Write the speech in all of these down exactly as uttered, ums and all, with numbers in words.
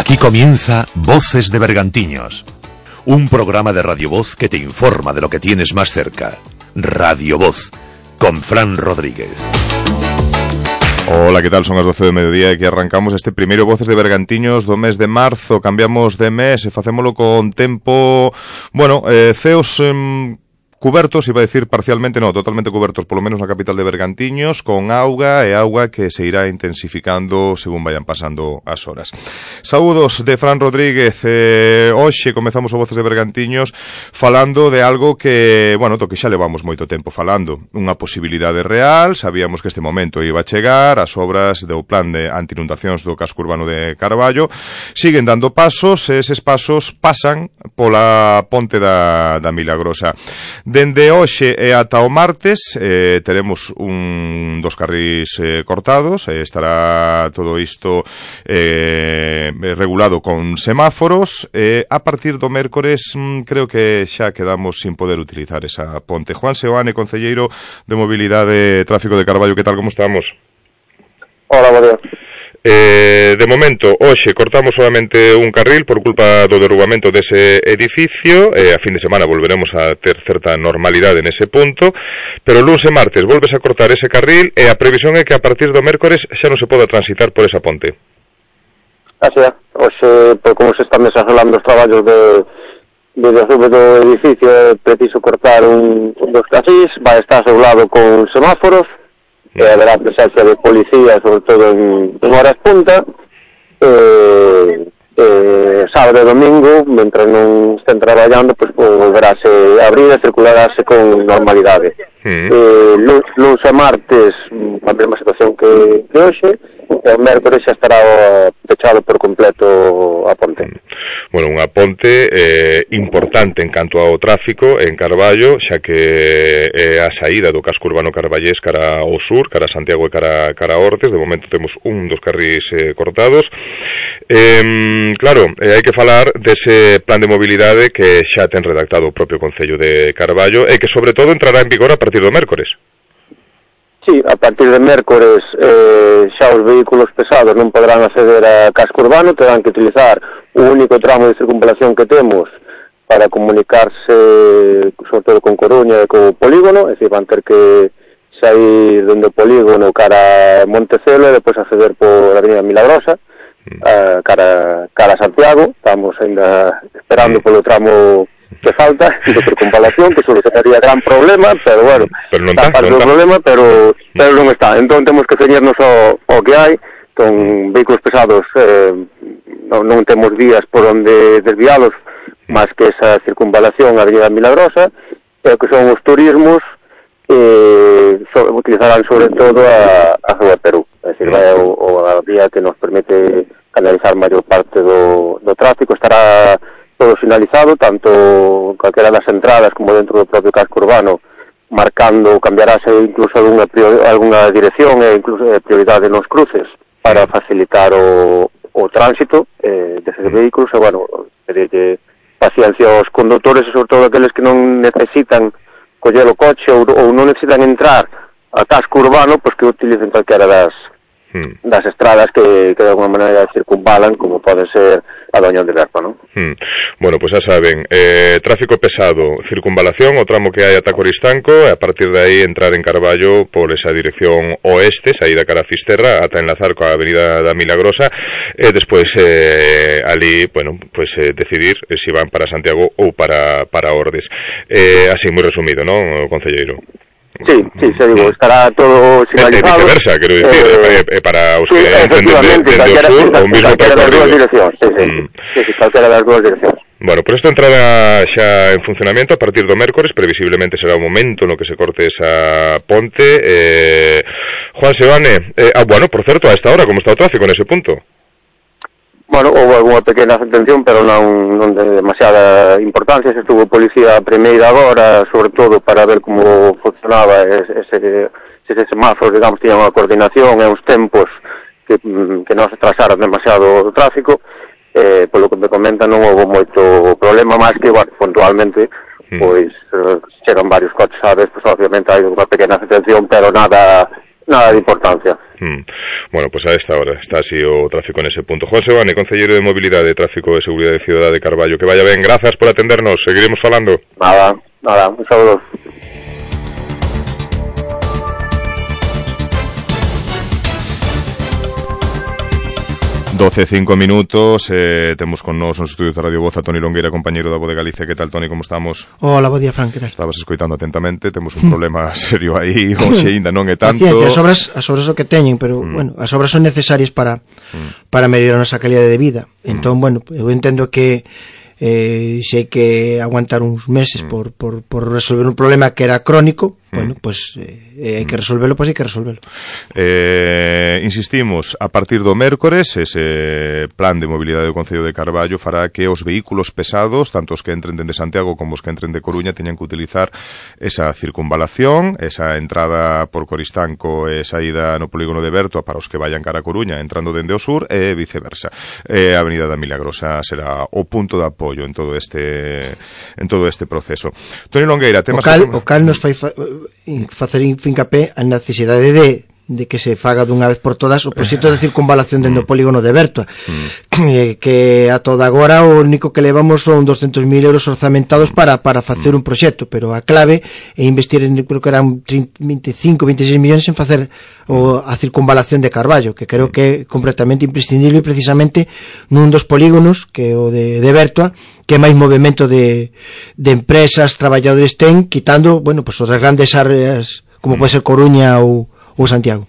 Aquí comienza Voces de Bergantiños, un programa de Radio Voz que te informa de lo que tienes más cerca. Radio Voz, con Fran Rodríguez. Ola, que tal? Son as doce do mediodía e que arrancamos este primeiro Voces de Bergantiños do mes de marzo. Cambiamos de mes e facémolo con tempo, bueno, eh, ceos... Eh, cubertos, iba a decir parcialmente, no, totalmente cubertos, polo menos na capital de Bergantiños, con auga e auga que se irá intensificando según vayan pasando as horas. Saúdos de Fran Rodríguez. Eh, hoxe comezamos o Voces de Bergantiños falando de algo que, bueno, do que xa levamos moito tempo falando, unha posibilidade real. Sabíamos que este momento iba a chegar, as obras do plan de anti-inundacións do casco urbano de Carballo siguen dando pasos, e eses pasos pasan pola ponte da, da Milagrosa. Dende hoxe e ata o martes eh, teremos un dos carrís eh, cortados, eh, estará todo isto eh, regulado con semáforos, e eh, a partir do mércores mm, creo que xa quedamos sin poder utilizar esa ponte. Juan Seoane, concelleiro de Mobilidade e Tráfico de Carballo, que tal, como estamos? Hola, bo día. Eh, de momento, hoxe cortamos solamente un carril por culpa do derrubamento dese edificio, e a fin de semana volveremos a ter certa normalidade nese punto, pero luns e martes volves a cortar ese carril e a previsión é que a partir do mércores xa non se poda transitar por esa ponte. Así é, hoxe, por como se están desasolando os traballos de, de derrube do edificio, é preciso cortar un, un dos carrís, vai estar asolado con semáforos, e haberá presencia de policía, sobre todo en, en horas punta, e, e sábado e domingo, mentre non estén traballando, pues, volverase a abrir e circularase con normalidade. Mm. Eh, luns, luns e martes, a mesma situación que, que hoxe, e o mércores xa estará pechado por completo a ponte. Bueno, unha ponte eh, importante en canto ao tráfico en Carballo, xa que é a saída do casco urbano carballés cara ao sur, cara a Santiago e cara, cara a Ortes. De momento temos un dos carrís eh, cortados. Eh, claro, eh, hai que falar dese plan de mobilidade que xa ten redactado o propio Concello de Carballo e que sobre todo entrará en vigor a partir do mércores. Sí, a partir de mércores eh, xa os vehículos pesados non poderán acceder a casco urbano, terán que utilizar o único tramo de circunvalación que temos para comunicarse, sobre todo con Coruña e co polígono, é dicir, van ter que sair dende o polígono cara a Montecelo e depois acceder por a Avenida Milagrosa, a, cara, cara a Santiago. Estamos ainda esperando polo tramo que falta de circunvalación, que solucionaría gran problema, pero bueno, pero non está parte do problema, pero pero non está. Entón temos que ceñirnos ao, ao que hai, con vehículos pesados, eh, non, non temos vías por onde desvialos, máis que esa circunvalación a Avenida Milagrosa, pero que son os turismos, eh, so, utilizarán sobre todo a, a Rúa Perú, é dicir, vai o, o a vía que nos permite canalizar maior parte do, do tráfico. Estará todo finalizado, tanto calquera das entradas como dentro do propio casco urbano, marcando, cambiarase incluso alguna, alguna dirección e incluso prioridade nos cruces para facilitar o, o tránsito eh, deses vehículos. E, bueno, pedirle paciencia aos condutores e sobre todo aqueles que non necesitan coller o coche ou, ou non necesitan entrar a casco urbano, pois que utilicen calquera das mm. das estradas que, que de alguma maneira circunvalan, como pode ser a Doña de Berpa, non? Hmm. Bueno, pois pues xa saben, eh, tráfico pesado, circunvalación, o tramo que hai ata Coristanco, e a partir de aí entrar en Carballo por esa dirección oeste, saída cara a Fisterra, ata enlazar coa Avenida da Milagrosa, e despois eh, ali, bueno, pues eh, decidir eh, se si van para Santiago ou para, para Ordes. Eh, así, moi resumido, non, concelleiro? Sí, sí, se digo, estará todo sinalizado. E viceversa, quero dicir, eh, eh, para os que sí, entenden dende o sur, o mismo percorrido. Sí, sí, mm. sí, sí, calquera das dúas direccións. Bueno, por isto entrará xa en funcionamento a partir do mércores, previsiblemente será o momento no que se corte esa ponte. Eh, Juan Seoane, eh, ah, bueno, por certo, a esta hora, como está o tráfico nese punto? Bueno, houve alguna pequena atención, pero non, non de demasiada importancia. Se estuvo policía a primeira hora, sobre todo para ver como funcionaba ese, ese semáforo, digamos, tiñan unha coordinación e uns tempos que, que non se trasaran demasiado o tráfico. Eh, polo que me comentan, non houve moito problema, máis que, bueno, puntualmente, pois, eh, chegan varios coches, sabes, pois obviamente hai unha pequena atención, pero nada nada de importancia. Mm. Bueno, pues a esta hora está así o tráfico en ese punto. Juan Sebane, concelleiro de Mobilidade, Tráfico e Seguridade de Cidade de Carballo, que vaya ben, grazas por atendernos, seguiremos falando. Nada, nada, un saludo. doce, cinco minutos, eh, temos con nos nos estudios de Radio Voz a Toni Longueira, compañeiro da Voz de Galicia. Que tal, Toni, como estamos? Hola, bo día, Fran, que tal? Estabas escoitando atentamente, temos un problema serio aí, hoxe ainda non é tanto. Paciencia, as obras, as obras o que teñen, pero, mm. bueno, as obras son necesarias para mm. para mellorar a nosa calidade de vida. Entón, mm. bueno, eu entendo que eh, se hai que aguantar uns meses mm. por, por, por resolver un problema que era crónico, mm. bueno, pues eh, hai que resolvelo, pois pues hai que resolvelo. Eh, insistimos, a partir do mércores, ese plan de mobilidade do Concello de Carballo fará que os vehículos pesados, tanto os que entren dende Santiago como os que entren de Coruña, teñan que utilizar esa circunvalación, esa entrada por Coristanco e saída no polígono de Bertoa para os que vayan cara a Coruña entrando dende o sur e viceversa. Eh, a Avenida da Milagrosa será o punto de apoio en todo este en todo este proceso. Toni Longueira, temas o cal, que... o cal nos fai fa, facer fincapé a necesidade de de que se faga dunha vez por todas o proxecto de circunvalación dentro do polígono de Bertoa, mm. que a toda agora o único que levamos son doscientos mil euros orzamentados para para facer un proxecto, pero a clave é investir en, creo que eran veinticinco, veintiséis millóns en facer o, a circunvalación de Carballo, que creo que é completamente imprescindible precisamente nun dos polígonos, que é o de, de Bertoa, que máis movimento de, de empresas, traballadores ten, quitando, bueno, pues outras grandes áreas como pode ser Coruña ou ou Santiago.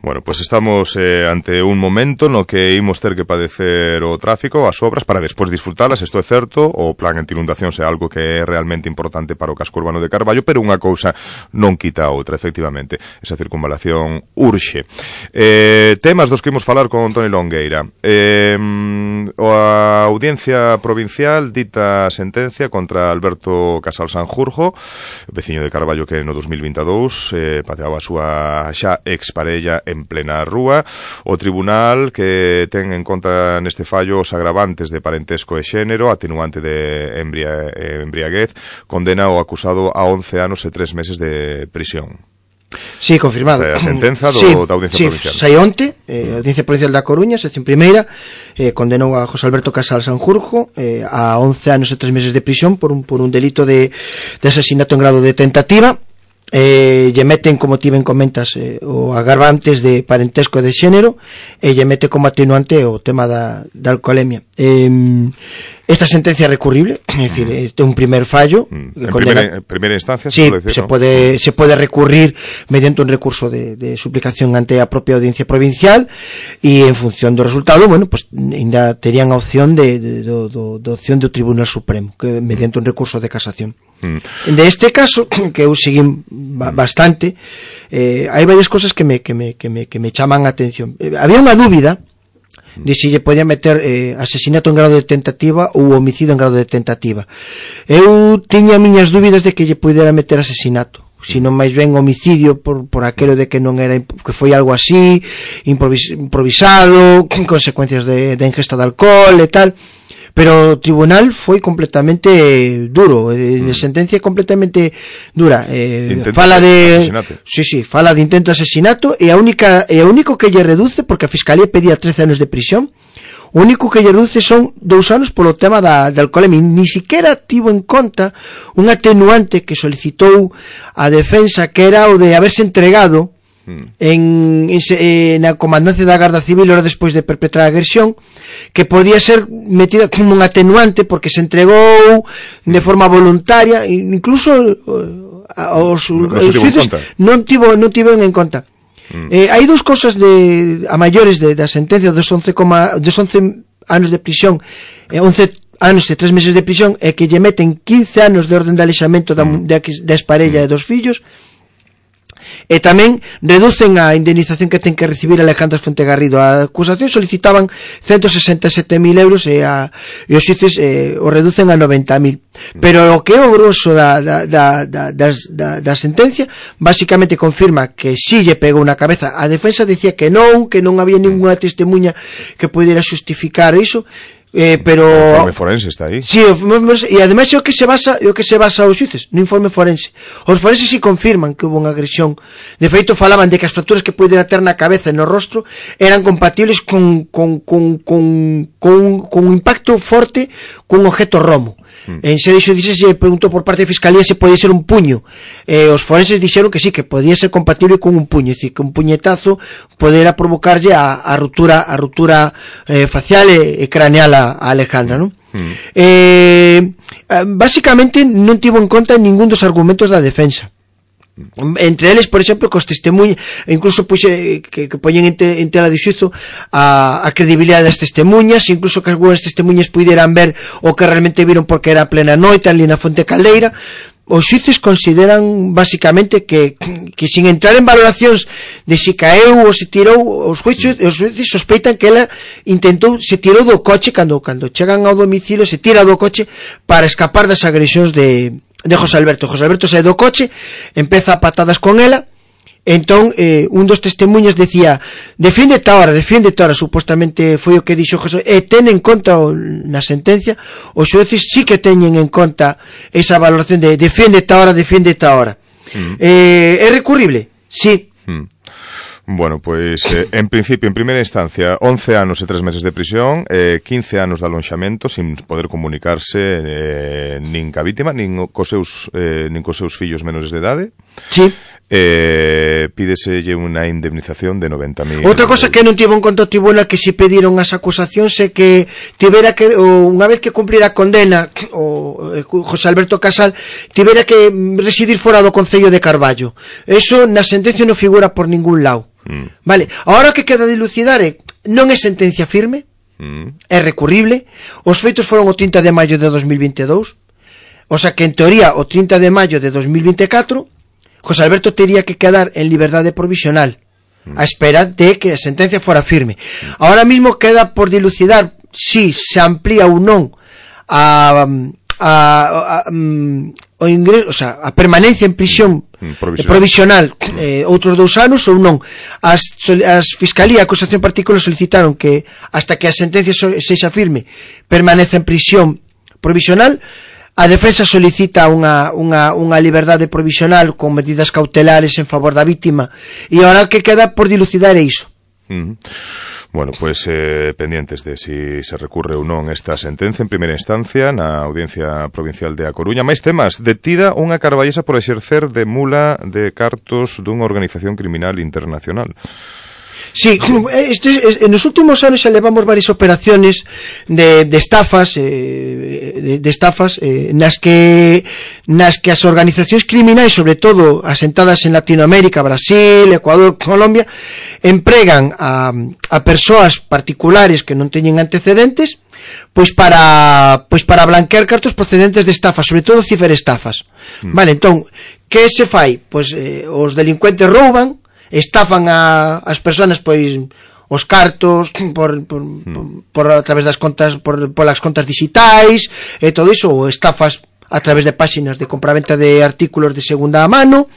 Bueno, pues estamos eh, ante un momento no que imos ter que padecer o tráfico, as obras, para despois disfrutalas, isto é certo, o plan anti-inundacións é algo que é realmente importante para o casco urbano de Carballo, pero unha cousa non quita a outra, efectivamente. Esa circunvalación urxe. Eh, temas dos que imos falar con Toni Longueira. Eh, a Audiencia Provincial dita sentencia contra Alberto Casal Sanjurjo, veciño de Carballo que no dos mil vinte e dous eh, pateaba a súa xa exparella en plena rúa. O tribunal, que ten en conta neste fallo os agravantes de parentesco e xénero, atenuante de embria, embriaguez, condena o acusado a once anos e tres meses de prisión. Sí, confirmado. Esta é a sentenza do, sí, da Audiencia sí, Provincial. Sai onte, eh, a Audiencia Provincial da Coruña, sección primeira, eh, condenou a José Alberto Casal Sanjurjo eh, a once anos e tres meses de prisión por un, por un delito de, de asesinato en grado de tentativa. Eh, lle meten, como ti ben comentas, eh, o agravantes de parentesco e de xénero, e lle mete como atenuante o tema da, da alcoholemia. Eh, esta sentencia é recurrible, é dicir, este é un primer fallo. Mm. En condena... primeira, primeira instancia, sí, se pode decir, se, ¿no? pode, se pode recurrir mediante un recurso de, de suplicación ante a propia Audiencia Provincial, e en función do resultado, bueno, pues ainda terían a opción de, de, de, de, de opción do Tribunal Supremo, que mediante un recurso de casación. Mm. De este caso, que eu seguín bastante, eh, hai varias cosas que me, que me, que me, que me chaman a atención. Eh, había unha dúbida de si lle podía meter eh, asesinato en grado de tentativa ou homicidio en grado de tentativa. Eu tiña miñas dúbidas de que lle pudera meter asesinato, sino máis ben homicidio por, por aquelo de que non era, que foi algo así improvis, improvisado, con consecuencias de, de ingesta de alcohol e tal. Pero o tribunal foi completamente duro, de, de sentencia completamente dura. Eh, fala de asesinato. Sí, sí, fala de intento de asesinato e a única e o único que lle reduce, porque a Fiscalía pedía trece anos de prisión, o único que lle reduce son dous anos polo tema da, da alcoholemia. Ni siquiera tivo en conta un atenuante que solicitou a defensa, que era o de haberse entregado en, en, en a comandancia da Garda Civil hora despois de perpetrar a agresión, que podía ser metida como un atenuante porque se entregou de forma voluntaria, incluso os, no, no os xuíces non tivo non tiveron en conta. Mm. Eh, hai dous cosas de a maiores de, da sentencia dos once, dos once anos de prisión, eh, once anos e tres meses de prisión, e que lle meten quince anos de orden de alexamento da, mm. da, da exparella mm. e dos fillos. E tamén reducen a indemnización que ten que recibir Alejandra Fuente Garrido. A acusación solicitaban ciento sesenta e sete mil euros e, a, e os xuíces eh, o reducen a noventa mil. Pero o que é o grosso da, da, da, da, da, da sentencia basicamente confirma que si lle pegou na cabeza. A defensa dicía que non, que non había ninguna testemunha que pudiera justificar iso. Eh, pero o informe forense está aí. Sí, e ademais é o que se basa, é o que se basa os xuíces no informe forense. Os forenses si confirman que hubo unha agresión. De feito falaban de que as fracturas que pudera ter na cabeza e no rostro eran compatibles con con con con con, con un impacto forte cun objeto romo. Mm. En se dixo, dixe, se preguntou por parte da Fiscalía se podía ser un puño. Eh, os forenses dixeron que sí, que podía ser compatible con un puño, é dicir, que un puñetazo podera provocarlle a, a ruptura a ruptura eh, facial e, e craneal a, a Alejandra, non? Mm. Eh, basicamente non tivo en conta ningún dos argumentos da defensa. Entre eles, por exemplo, cos testemunhos, incluso puxe, que, que poñen en, te, en tela de xuizo a, a credibilidade das testemunhas, incluso que algunhas testemunhas puderan ver o que realmente viron porque era plena noite ali na Fonte Caldeira. Os xuíces consideran basicamente que, que sin entrar en valoracións de si caeu ou se tirou, os xuíces, os xuíces sospeitan que ela intentou, se tirou do coche cando, cando chegan ao domicilio, se tira do coche para escapar das agresións de de José Alberto. José Alberto sae do coche, empeza a patadas con ela, entón eh, un dos testemunhas decía, defiéndete ahora, defiéndete ahora, supostamente foi o que dixo José, e ten en conta o, na sentencia, os xueces sí que teñen en conta esa valoración de defiéndete ahora, defiéndete ahora. Mm. Eh, é recurrible? Sí. Mm. Bueno, pois, eh, en principio, en primeira instancia, once anos e tres meses de prisión, eh, quince anos de alonxamento, sin poder comunicarse eh, nin ca vítima, nin cos seus, eh, nin cos seus fillos menores de idade. Sí. Eh, pídeselle unha indemnización de noventa mil. Outra cosa que non tivo en conta o tribunal que se pediron as acusacións é que tivera que, ou unha vez que cumplira a condena, o José Alberto Casal tivera que residir fora do concello de Carballo. Eso na sentencia non figura por ningún lado. Mm. Vale, agora que queda dilucidar é, non é sentencia firme, mm. é recurrible. Os feitos foron o trinta de maio de dos mil vinte e dous, o sea que en teoría o trinta de maio de dos mil vinte e catro José Alberto tería que quedar en liberdade provisional mm. a espera de que a sentencia fora firme. Mm. Ahora mismo queda por dilucidar si se amplía ou non a, a, a, a, o ingreso, o sea, a permanencia en prisión provisional, provisional eh, outros dous anos ou non. As, as Fiscalía e a acusación particular solicitaron que hasta que a sentencia sexa firme permanece en prisión provisional. A defensa solicita unha, unha, unha liberdade provisional con medidas cautelares en favor da vítima, e ahora que queda por dilucidar é iso. Mm. Bueno, pois pues, eh, pendientes de si se recurre ou non esta sentencia en primeira instancia na Audiencia Provincial de A Coruña. Máis temas. Detida unha carballesa por exercer de mula de cartos dunha organización criminal internacional. Sí, este, en los últimos anos xa levamos varias operaciones de, de estafas eh, de, de estafas eh, nas que nas que as organizacións criminais, sobre todo asentadas en Latinoamérica, Brasil, Ecuador, Colombia, empregan a, a persoas particulares que non teñen antecedentes, pois para pois para blanquear cartos procedentes de estafas, sobre todo ciberestafas. Mm. Vale, entón, que se fai? Pois eh, os delincuentes rouban, estafan a as persoas, pois os cartos por, por, mm. por, por a través das contas, por polas contas digitais e todo iso, ou estafas a través de páxinas de compraventa de artículos de segunda mano.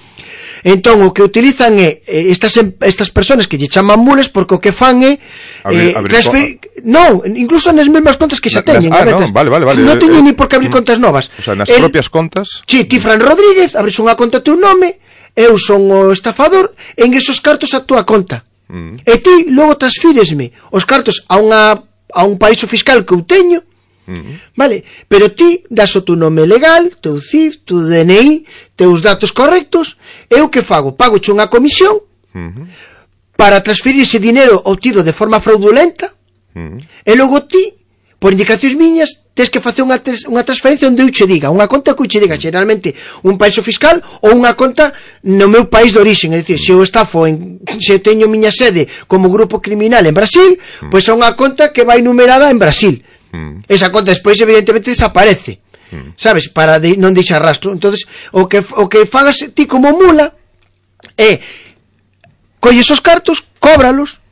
Entón o que utilizan é estas estas persoas que lle chaman mules, porque o que fan é eh, transfer... non, incluso nas mesmas contas que xa teñen. Ah, no, vale, vale, vale. Non teñen eh, ni por que abrir contas novas. O sea, nas El, propias contas. Sí, ti Fran Rodríguez, abres unha conta a teu nome, eu son o estafador, e ingreso os cartos a túa conta. Mm. E ti logo transfíresme os cartos a unha a un paraíso fiscal que eu teño. Mm. Vale, pero ti das o tu nome legal, teu C I F, tu D N I, teus datos correctos. Eu que fago? Pago unha comisión mm-hmm. para transferir ese dinero obtido de forma fraudulenta, mm. e logo ti, por indicacións miñas, tens que facer unha, unha transferencia onde eu che diga, unha conta que eu che diga, generalmente un paraíso fiscal ou unha conta no meu país de orixen. É dicir, se eu estafo en, se teño miña sede como grupo criminal en Brasil, mm. pois é unha conta que vai numerada en Brasil. Mm. Esa conta despois evidentemente desaparece, mm. sabes, para de, non deixar rastro. Entonces o que o que fagas ti como mula é colles os cartos, cóbralos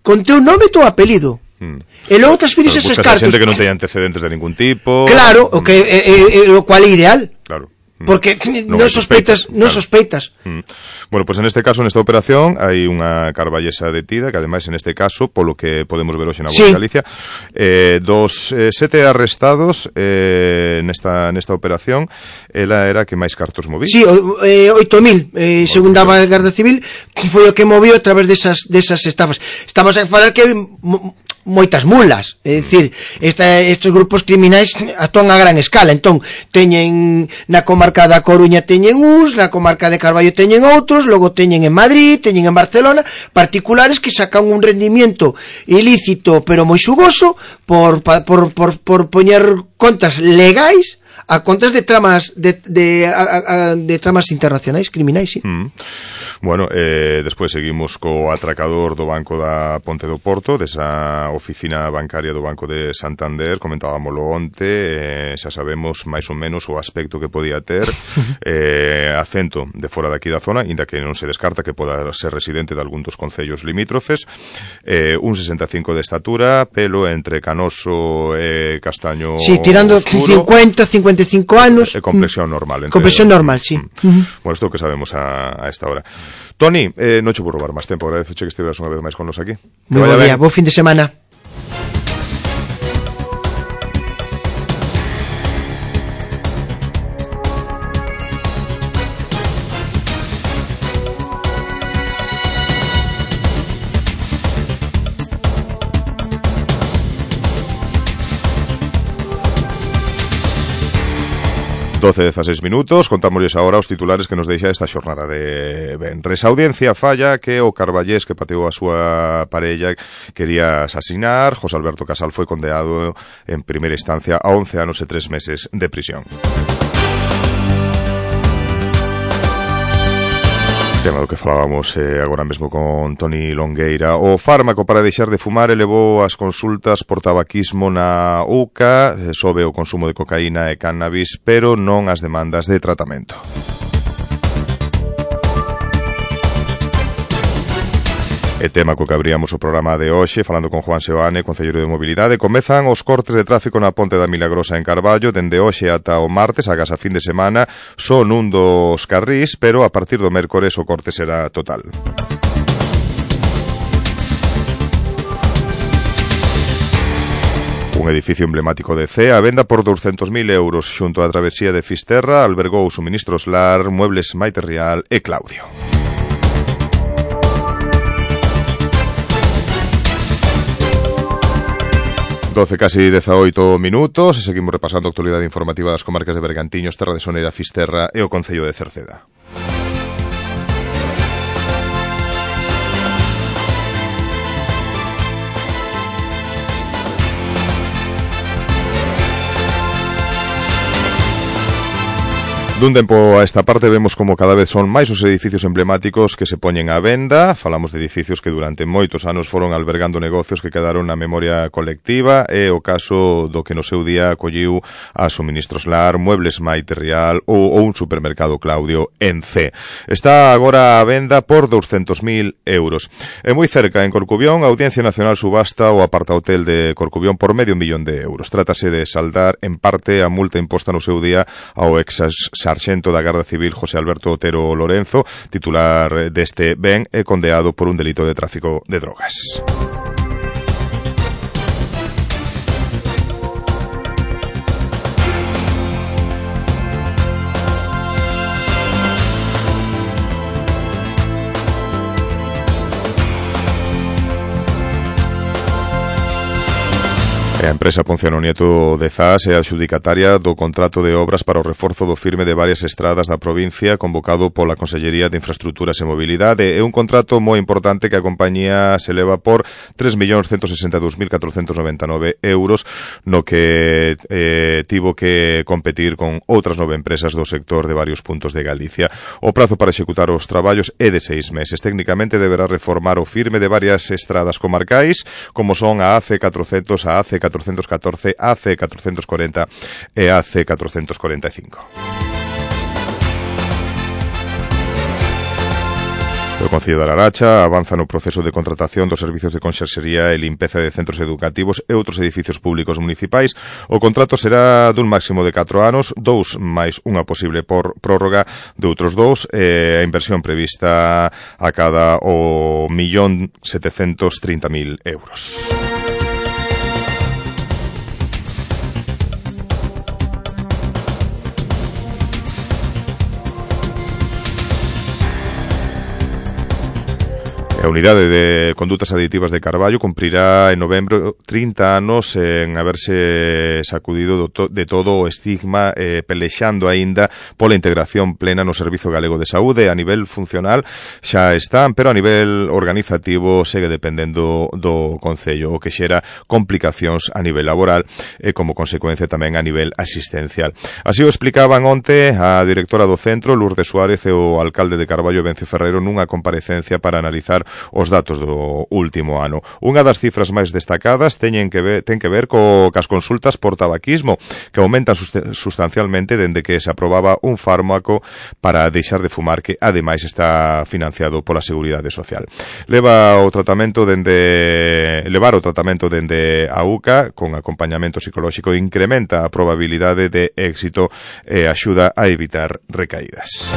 con teu nome e teu apelido, mm. e logo transfires eses cartos. Xente que non teña antecedentes de ningún tipo. Claro, mm. o que é, é, é, o cual é ideal. Claro. Porque non, non sospeitas, non claro. sospeitas. Mm. Bueno, pues en este caso, nesta operación, hai unha carballesa detida, que ademais, en este caso, polo que podemos ver hoxe na Voz sí. de Galicia, eh, dos eh, sete arrestados eh, nesta, nesta operación, ela era que máis cartos movía. Sí, eh, oito mil, eh, según daba a Garda Civil, foi o que movió a través desas, desas estafas. Estamos a falar que moitas mulas, é dicir, esta, estes grupos criminais actúan a gran escala, entón teñen na comarca da Coruña teñen uns, na comarca de Carballo teñen outros, logo teñen en Madrid, teñen en Barcelona, particulares que sacan un rendimiento ilícito pero moi xugoso por, por, por, por poñer contas legais a contas de tramas de, de, a, a, de tramas internacionais, criminais, sí. Mm. Bueno, eh, despois seguimos co atracador do Banco da Ponte do Porto, desa oficina bancaria do Banco de Santander, comentábamoslo onte, eh, xa sabemos máis ou menos o aspecto que podía ter, eh, acento de fora daqui da zona, inda que non se descarta que poda ser residente de algún dos concellos limítrofes, eh, un sesenta e cinco de estatura, pelo entre canoso e castaño sí, tirando oscuro, cincuenta, cincuenta e cinco anos. E complexión normal. Entre, complexión normal, sí. Mm. Uh-huh. Bueno, isto que sabemos a, a esta hora. Toni, eh, non che vou roubar máis tempo, agradezo che que estiveras unha vez máis con nos aquí. Moi bo día, bo fin de semana. doce e dezaseis minutos, contámosles agora os titulares que nos deixa esta xornada de venres. A audiencia falla que o carballés que pateou a súa parella quería asasinar. José Alberto Casal foi condenado en primeira instancia a once anos e tres meses de prisión. Tema do que falábamos eh, agora mesmo con Toni Longueira. O fármaco para deixar de fumar elevou as consultas por tabaquismo na U C A, eh, sobe o consumo de cocaína e cannabis, pero non as demandas de tratamento. E tema co que abríamos o programa de hoxe, falando con Juan Seoane, concelleiro de Mobilidade. Comezan os cortes de tráfico na Ponte da Milagrosa en Carballo, dende hoxe ata o martes, agás a fin de semana, son un dos carrís, pero a partir do mércores o corte será total. Un edificio emblemático de Cee, a venda por douscentos mil euros, xunto á travesía de Fisterra, albergou suministros Lar, Muebles Maite Rial e Claudio. doce casi dezaoito minutos e seguimos repasando a actualidade informativa das comarcas de Bergantiños, Terra de Soneira, Fisterra e o concello de Cerceda. Dun tempo a esta parte vemos como cada vez son máis os edificios emblemáticos que se poñen á venda. Falamos de edificios que durante moitos anos foron albergando negocios que quedaron na memoria colectiva, e o caso do que no seu día acolliu a Suministros Lar, Muebles Maite Rial ou, ou un supermercado Claudio en Cee. Está agora á venda por douscentos mil euros. E moi cerca, en Corcubión, a Audiencia Nacional subasta o apartahotel de Corcubión por medio millón de euros. Trátase de saldar en parte a multa imposta no seu día ao ex sarxento da Garda Civil José Alberto Otero Lorenzo, titular deste ben e condeado por un delito de tráfico de drogas. A empresa Ponciano Nieto de Zas é a adxudicataria do contrato de obras para o reforzo do firme de varias estradas da provincia convocado pola Consellería de Infraestructuras e Mobilidade. É un contrato moi importante que a compañía se leva por tres millóns ciento sesenta e dous mil catrocentos noventa e nove euros, no que eh, tivo que competir con outras nove empresas do sector de varios puntos de Galicia. O prazo para executar os traballos é de seis meses. Técnicamente deberá reformar o firme de varias estradas comarcais, como son a A C catrocentos, a A C catrocentos catorce, A C catrocentos cuarenta e A C catrocentos cuarenta e cinco. O Concello da Laracha avanza no proceso de contratación dos servizos de conserxería e limpeza de centros educativos e outros edificios públicos municipais. O contrato será dun máximo de catro anos, dous máis unha posible por prórroga de outros dous, e a inversión prevista a cada o millón setecentos trinta mil euros. A Unidade de Condutas Aditivas de Carballo cumprirá en novembro trinta anos en haberse sacudido de todo o estigma, eh, pelexando aínda pola integración plena no Servizo Galego de Saúde. A nivel funcional xa están, pero a nivel organizativo segue dependendo do Concello, o que xera complicacións a nivel laboral e como consecuencia tamén a nivel asistencial. Así o explicaban onte a directora do centro, Lourdes Suárez, e o alcalde de Carballo, Vencio Ferreiro, nunha comparecencia para analizar os datos do último ano. Unha das cifras máis destacadas teñen que ver, ten que ver co cas consultas por tabaquismo, que aumentan sustancialmente dende que se aprobaba un fármaco para deixar de fumar, que ademais está financiado pola Seguridade Social. Leva o tratamento dende levar o tratamento dende a U C A con acompañamento psicolóxico incrementa a probabilidade de éxito e axuda a evitar recaídas.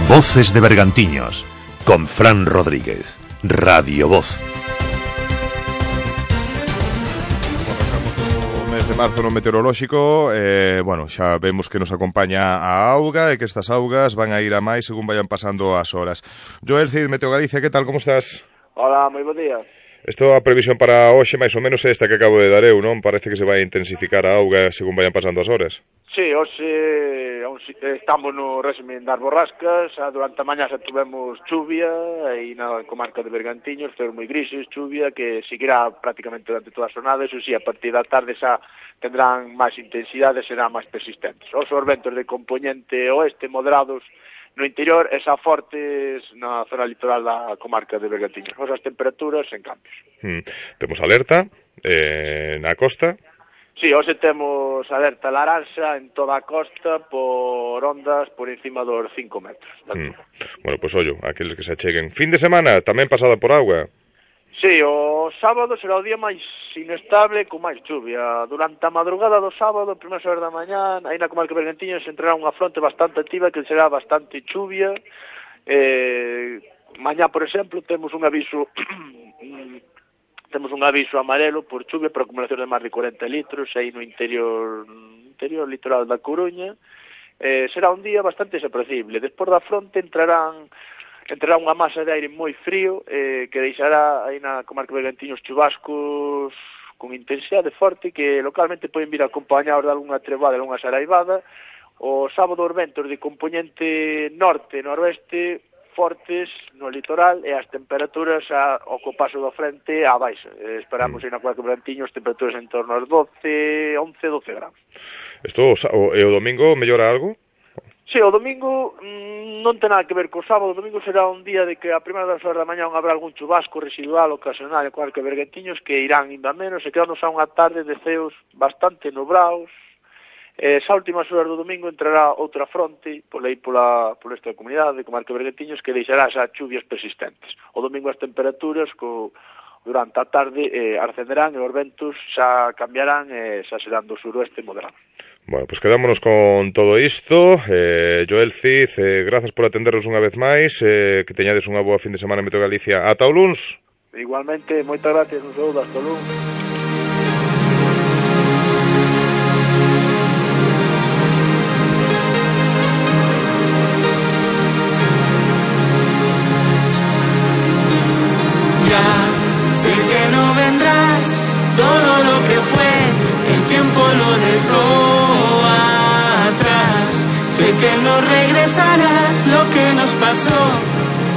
Voces de Bergantiños, con Fran Rodríguez, Radio Voz. O mes de marzo no meteorolóxico, eh, bueno, xa vemos que nos acompaña a auga e que estas augas van a ir a máis según vayan pasando as horas. Joel Cid, Meteo Galicia, que tal, como estás? Hola, moi bo día. Isto a previsión para hoxe máis ou menos é esta que acabo de dar eu, non? Parece que se vai a intensificar a auga según vayan pasando as horas. Sí, hoxe estamos no régimen das borrascas, durante a mañá xa tuvemos chuvia e na comarca de Bergantiños, ceos moi grises, chuvia que seguirá prácticamente durante toda a xornada, eso sí, a partir da tarde xa tendrán máis intensidade e serán máis persistentes. Os ventos de componente oeste moderados no interior e xa fortes na zona litoral da comarca de Bergantiños. As temperaturas en cambios. Hmm. Temos alerta eh, na costa. Sí, hoxe temos alerta laranxa en toda a costa por ondas por encima dos cinco metros. Mm. Bueno, pois pues, ollo, aqueles que se acheguen. Fin de semana, tamén pasada por auga. Sí, o sábado será o día máis inestable con máis chuvia. Durante a madrugada do sábado, primeiras horas da mañá, aí na comarca de Bergantiños entrará unha fronte bastante activa que será bastante chuvia. Eh, mañá, por exemplo, temos un aviso... Temos un aviso amarelo por chuvia por acumulación de máis de corenta litros aí no interior interior litoral da Coruña. Eh, será un día bastante desapreciable. Despois da fronte entrarán entrará unha masa de aire moi frío eh, que deixará aí na comarca de Bergantiños chubascos con intensidade forte que localmente poden vir acompañados de algunha treboada, de algunha saraivada. O sábado os ventos de componente norte-noroeste fortes no litoral e as temperaturas a, ao paso do frente a baixa. Eh, esperamos mm. aí na comarca de Bergantiños temperaturas en torno aos doce, once, doce graus. Isto o, e o domingo mellora algo? Sí, o domingo mmm, non ten nada que ver co sábado. O domingo será un día de que a primeira das horas da mañá habrá algún chubasco residual ocasional en comarca de Bergantiños que irán indo a menos e quedamos a unha tarde de ceos bastante nubrados. Eh, esa últimas horas do domingo entrará outra fronte por aí pola, por esta comunidade de comarca de Bergantiños que deixará xa chuvias persistentes. O domingo as temperaturas co, durante a tarde eh, ascenderán e os ventos xa cambiarán e xa serán do suroeste moderado. Bueno, pues quedámonos con todo isto. Eh, Joel Cid, eh, grazas por atendernos unha vez máis, eh, que teñades unha boa fin de semana en Meteo Galicia. Ata o luns. Igualmente, moitas gracias, un saúdo, hasta o luns. Sé que no vendrás, todo lo que fue, el tiempo lo dejó atrás. Sé que no regresarás, lo que nos pasó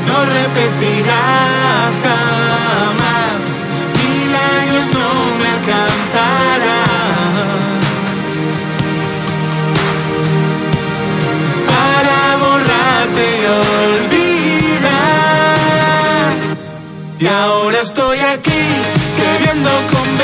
no repetirá jamás. Mil años no me alcanzarán para borrarte y olvidar. Y ahora estoy aquí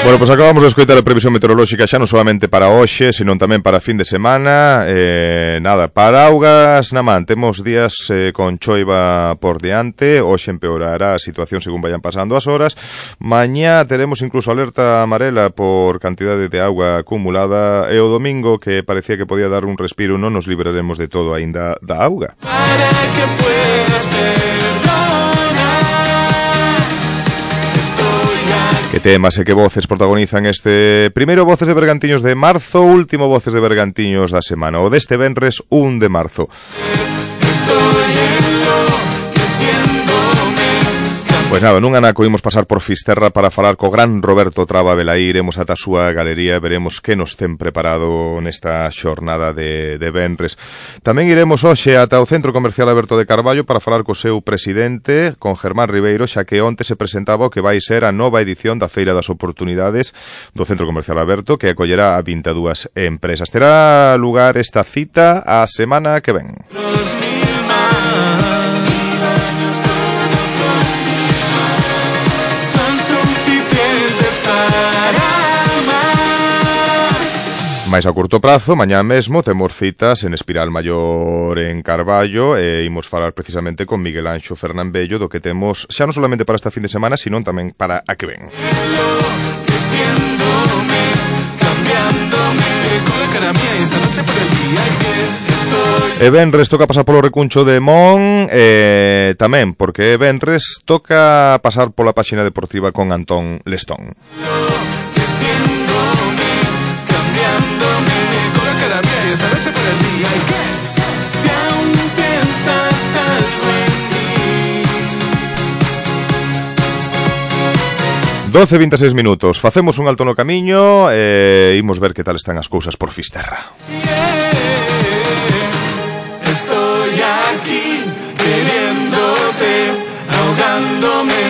Bueno, pois pues acabamos de escoitar a previsión meteorolóxica xa non solamente para hoxe, senón tamén para fin de semana. Eh, nada, para augas na man, temos días eh, con choiva por diante, hoxe empeorará a situación según vayan pasando as horas. Mañá teremos incluso alerta amarela por cantidade de auga acumulada e o domingo, que parecía que podía dar un respiro, non nos libraremos de todo aínda da auga. Para que puedas perdonar. Que temas e que voces protagonizan este primeiro Voces de Bergantiños de marzo, último Voces de Bergantiños da semana, o deste venres un de marzo. Estoy Pois nada, nun anaco imos pasar por Fisterra para falar co gran Roberto Traba Velaí. Iremos ata a súa galería e veremos que nos ten preparado nesta xornada de, de venres. Tamén iremos hoxe ata o Centro Comercial Aberto de Carballo para falar co seu presidente, con Germán Ribeiro, xa que onte se presentaba o que vai ser a nova edición da Feira das Oportunidades do Centro Comercial Aberto, que acollerá a vinte e dúas empresas. Terá lugar esta cita a semana que ven. Mais a curto prazo, mañá mesmo temos citas en Espiral Maior en Carballo e imos falar precisamente con Miguel Anxo Fernambello do que temos xa non solamente para esta fin de semana, sino tamén para a que ven. E venres toca pasar polo recuncho de Mon, e tamén porque venres toca pasar pola páxina deportiva con Antón Lestón. doce e vinte e seis minutos. Facemos un alto no camiño e imos ver que tal están as cousas por Fisterra. Estoy aquí queriéndote, ahogándome.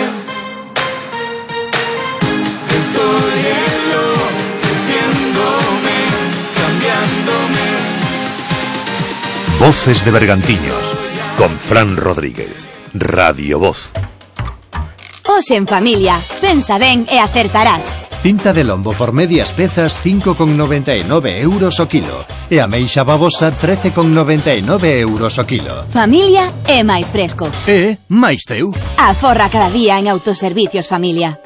Estoy enloqueciéndome, cambiándome. Voces de Bergantiños con Fran Rodríguez. Radio Voz. Hoxe en familia, pensa ben e acertarás. Cinta de lombo por medias pezas cinco con noventa e nove euros o kilo e ameixa babosa trece con noventa e nove euros o kilo. Familia é máis fresco. E máis teu. Aforra cada día en Autoservicios Familia.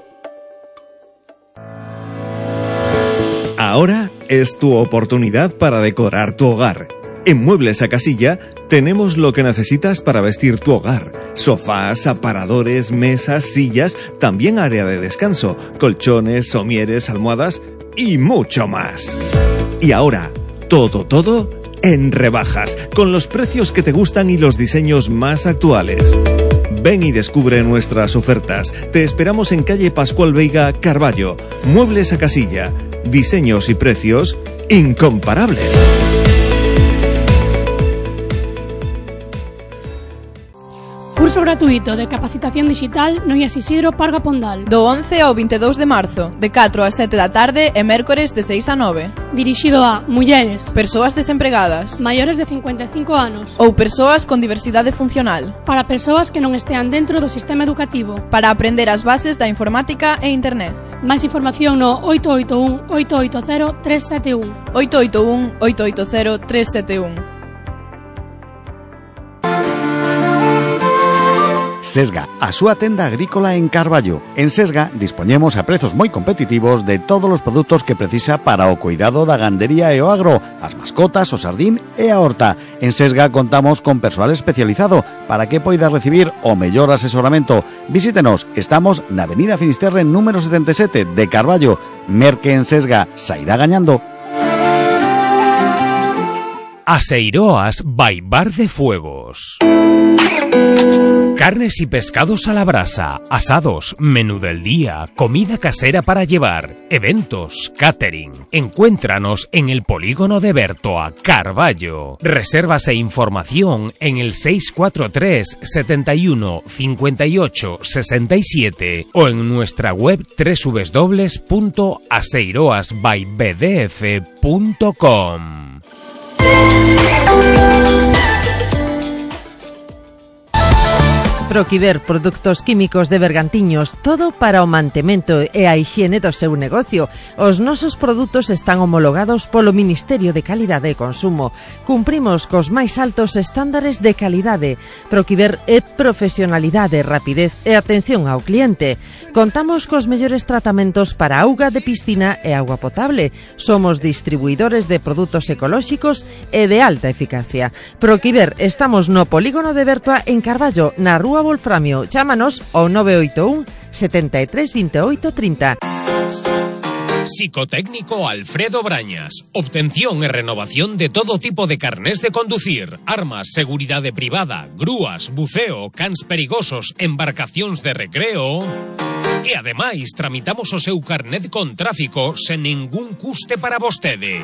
Ahora es tu oportunidad para decorar tu hogar. En Muebles a Casilla tenemos lo que necesitas para vestir tu hogar. Sofás, aparadores, mesas, sillas, también área de descanso, colchones, somieres, almohadas y mucho más. Y ahora, todo, todo en rebajas, con los precios que te gustan y los diseños más actuales. Ven y descubre nuestras ofertas. Te esperamos en calle Pascual Veiga, Carballo. Muebles a Casilla. Diseños y precios incomparables. Curso gratuito de capacitación digital no I A S Isidro Parga Pondal. Do once ao vinte e dous de marzo, de catro a sete da tarde e mércores de seis a nove. Dirixido a mulleres, persoas desempregadas, maiores de cincuenta e cinco anos ou persoas con diversidade funcional. Para persoas que non estean dentro do sistema educativo. Para aprender as bases da informática e internet. Máis información no oito oito un, oito oito cero, tres sete un. oito oito un, oito oito cero, tres sete un. Sesga, a súa tenda agrícola en Carballo. En Sesga dispoñemos a prezos moi competitivos de todos os produtos que precisa para o cuidado da gandería e o agro, as mascotas, o sardín e a horta. En Sesga contamos con persoal especializado para que poida recibir o mellor asesoramento. Visítenos, estamos na Avenida Finisterre número setenta e sete de Carballo. Merque en Sesga, sairá gañando. Aseiroas by Bar de Fuegos. Carnes y pescados a la brasa, asados, menú del día, comida casera para llevar, eventos, catering. Encuéntranos en el Polígono de Bertoa, Carballo. Reservas e información en el seis cuatro tres, setenta y uno, cincuenta y ocho, sesenta y siete o en nuestra web doble u doble u doble u punto aseiroas by b d f punto com. Proquiver, produtos químicos de Bergantiños, todo para o mantemento e a hixiene do seu negocio. Os nosos produtos están homologados polo Ministerio de Calidade e Consumo. Cumprimos cos máis altos estándares de calidade. Proquiver é profesionalidade, rapidez e atención ao cliente. Contamos cos mellores tratamentos para auga de piscina e auga potable. Somos distribuidores de produtos ecolóxicos e de alta eficacia. Proquiver, estamos no Polígono de Bertoa en Carballo, na Rúa Wolframio. Chámanos ao nove oito un, setenta e tres, veintiocho, treinta. Psicotécnico Alfredo Brañas. Obtención e renovación de todo tipo de carnés de conducir, armas, seguridade privada, grúas, buceo, cans perigosos, embarcacións de recreo. E ademais tramitamos o seu carnet con tráfico sen ningún custe para vostede.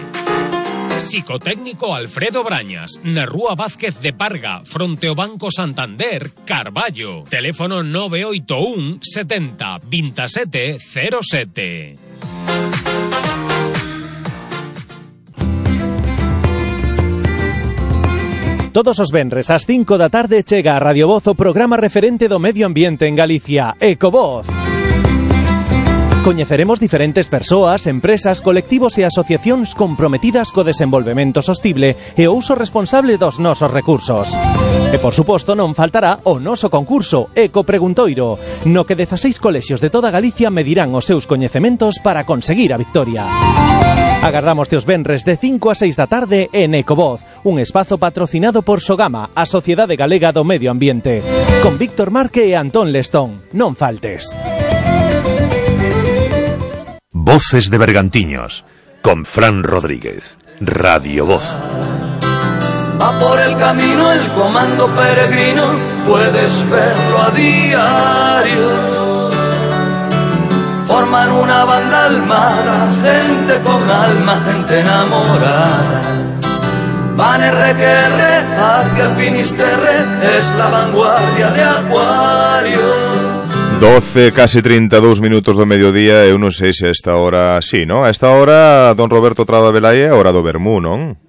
Psicotécnico Alfredo Brañas, na Rúa Vázquez de Parga, fronte ao Banco Santander, Carballo. Teléfono nove oito un, setenta, veintisiete, cero sete. Todos os venres ás cinco da tarde chega a Radio Voz o programa referente do medio ambiente en Galicia, Ecovoz. Coñeceremos diferentes persoas, empresas, colectivos e asociacións comprometidas co desenvolvemento sostible e o uso responsable dos nosos recursos. E, por suposto, non faltará o noso concurso Eco Preguntoiro, no que dezaseis colexios de toda Galicia medirán os seus coñecementos para conseguir a victoria. Agardamos os venres de cinco a seis da tarde en Ecovoz, un espazo patrocinado por Sogama, a Sociedade Galega do Medio Ambiente, con Víctor Marque e Antón Lestón. Non faltes. Voces de Bergantiños, con Fran Rodríguez, Radio Voz. Va por el camino el comando peregrino, puedes verlo a diario. Forman una banda almada, gente con alma, gente enamorada. Van R que R hacia el Finisterre, es la vanguardia de Acuario. doce, casi trinta e dous minutos do mediodía. Eu non sei se a esta hora, sí, non? A esta hora, don Roberto Traba Velaia, é a hora do vermú, non?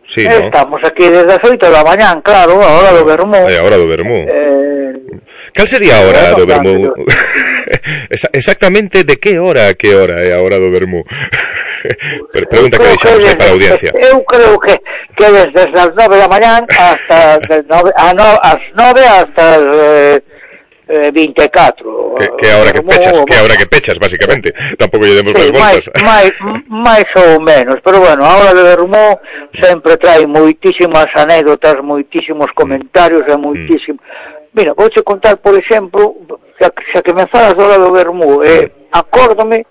Sí, non? Estamos aquí desde as oito da mañán, claro, a hora do vermú. É a hora do vermú. Eh... Cal sería a hora do vermú? Exactamente de que hora a que hora é a hora do vermú? Pregunta que deixamos aí para a audiencia. Eu creo que, que desde as nove da mañán hasta as nove hasta as... Eh, vinte e catro. Que, que ahora que pechas, que ahora que pechas, básicamente. Tampouco lle demos máis voltas. máis, máis ou menos, pero bueno, a hora de vermú sempre trae moitísimas anécdotas, moitísimos comentarios e moitísimo. Mm. Mira, vouche contar, por exemplo, xa, xa que me falas da hora do vermú, eh, acórdome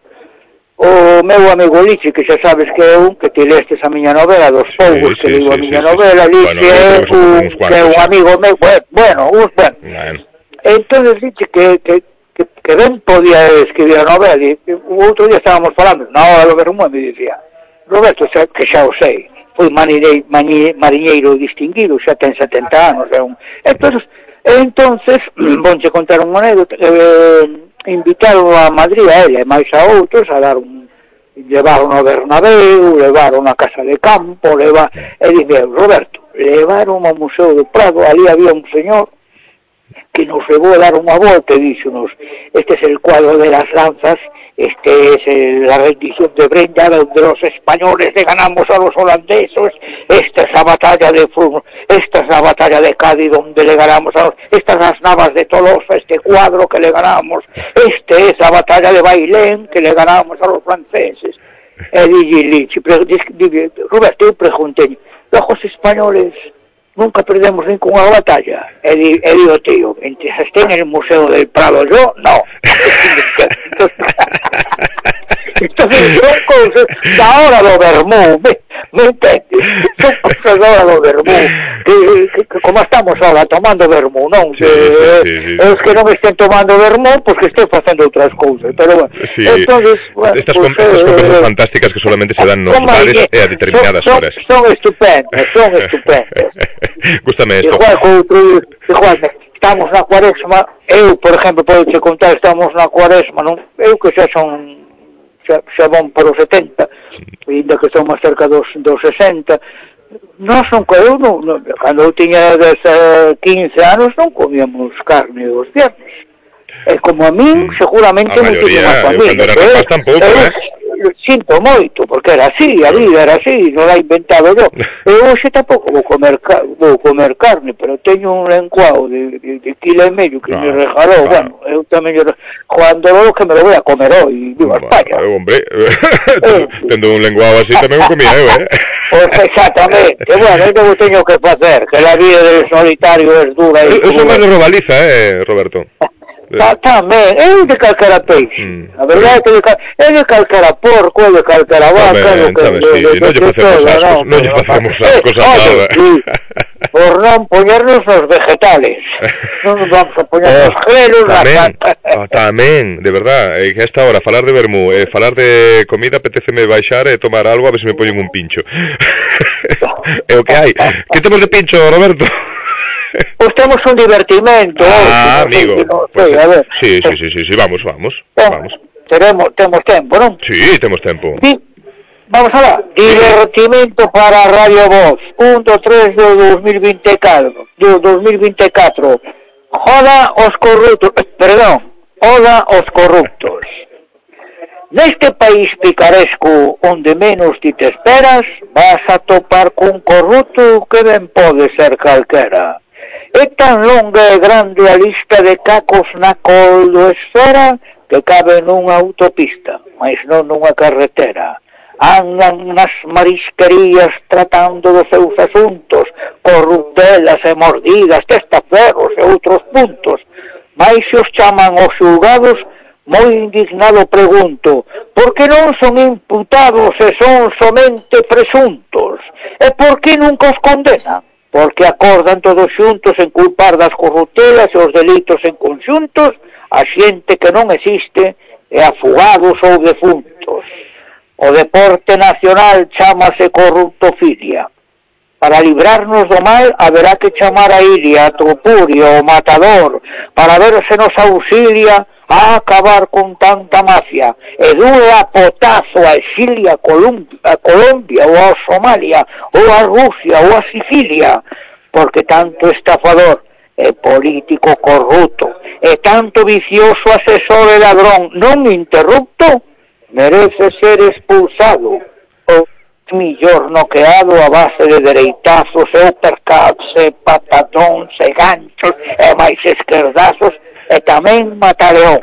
o meu amigo Lichi, que xa sabes que é un que te lestes a miña novela dos Fogos, sí, que sí, digo sí, a miña sí, novela, sí. Lichi bueno, é un, que é un amigo meu, bueno, un, bueno. bueno. Entonces dice que, que, que, que ben podía escribir a novela, e o outro día estábamos falando na hora do vermú e me dicía Roberto, xa, que xa o sei, foi mariñeiro, mariñeiro distinguido, xa ten setenta anos, é un... entonces, entonces vonche contar un anécdota, eh, invitaron a Madrid a ela e máis a outros a dar un, levaron ao Bernabéu, levaron a Casa de Campo, levar, e dice Roberto, levaron ao Museo do Prado, ali había un señor que nos llevó a dar una volta y díxonos, este es el cuadro de las lanzas, este es el, la rendición de Brenda, donde los españoles le ganamos a los holandeses, esta es la batalla de Fur, esta es la batalla de Cádiz, donde le ganamos a los, estas las navas de Tolosa, este cuadro que le ganamos, este es la batalla de Bailén, que le ganamos a los franceses. E dixi, Roberto, eu preguntei, los españoles nunca perdemos ninguna batalla. E, di, e digo, tío, mientras esté en el Museo del Prado yo, no. Entonces son cosas da hora do vermú, me, me entendes? Son cosas da hora do vermú, que, que, que como estamos ahora tomando vermú, non? Sí, sí, sí, sí. Es que non estén tomando vermú, pois pues que estén facendo outras cousas, pero bueno. Sí. Entonces, bueno, estas, pues, com estas conversas eh, fantásticas que solamente se dan nos bares e a determinadas son, horas. Son estupendas, son estupendas. Gústame esto. Igual, outro, igual, estamos na cuaresma, eu, por exemplo, podo te contar, estamos na cuaresma, non? Eu que xa son xa, xa van para os setenta, ainda que estou máis cerca dos, dos sesenta, nós non, eu non, non, cando eu tiña quince anos non comíamos carne os viernes. E como a min, seguramente a moitísimas familias. Cando era rapaz tampouco, eh? Sinto moito, porque era así, a vida era así, non la he inventado yo. Eu hoxe tampouco vou comer, vou comer carne, pero teño un lenguao de, de, de kilo e medio que claro, me regalou, claro. Bueno, eu tamén yo, Juan Doloro que me lo voy a comer hoy, viva bueno, España. Eh, hombre, eh, tendo un lenguao así tamén o comía eu, eh? Pues exactamente, bueno, eu non teño que facer, que la vida del solitario es dura. Eu son máis de robaliza, eh, Roberto. Ta, tamén, é de calcara peixe. Mm. A verdade é que de cal, é de calcara porco, é de calcara vaca, tamén, que, tamén, sí, de, de, non lle facemos ascos, non lle facemos ascos a nada. Sí, por non poñernos nos vegetales. Non nos vamos a poñer nos oh, grelos, tamén, oh, tamén, de verdad, eh, que a esta hora falar de vermú, eh, falar de comida, apetéceme baixar e tomar algo a ver se me poñen un pincho. É o que hai. Que temos de pincho, Roberto? Pois temos un divertimento. Ah, eh, amigo. No, pues, sí, a ver. Sí, sí, sí, sí, sí, vamos, vamos. Vamos. Teremos, temos tempo, non? Sí, temos tempo. Sí. Vamos a ver. Divertimento para Radio Voz. un, dos, tres do dos mil veinticuatro. Do dos mil veinticuatro. Joda os corruptos. Perdón. Joda os corruptos. Neste país picaresco onde menos ti te esperas, vas a topar cun corrupto que ben pode ser calquera. É tan longa e grande a lista de cacos na coldoesfera que cabe nunha autopista, mas non nunha carretera. Andan nas marisquerías tratando dos seus asuntos, corruptelas e mordidas, testaferros e outros puntos. Mas se os chaman os xulgados, moi indignado pregunto, por que non son imputados e son somente presuntos? E por que nunca os condenan? Porque acordan todos xuntos en culpar das corruptelas e os delitos en conxuntos a xente que non existe e a fugados ou defuntos. O deporte nacional chámase corruptofilia. Para librarnos do mal haberá que chamar a Iria, a Topurio, o Matador, para ver se nos auxilia a acabar con tanta mafia, e dúe a potazo a exilia a Colombia, a Colombia ou a Somalia, ou a Rusia, ou a Sicilia, porque tanto estafador e político corrupto, e tanto vicioso asesor e ladrón non interrupto, merece ser expulsado, ou millor noqueado a base de dereitazos, e uppercuts, e patadóns, e ganchos, e máis esquerdazos, e tamén mataleón.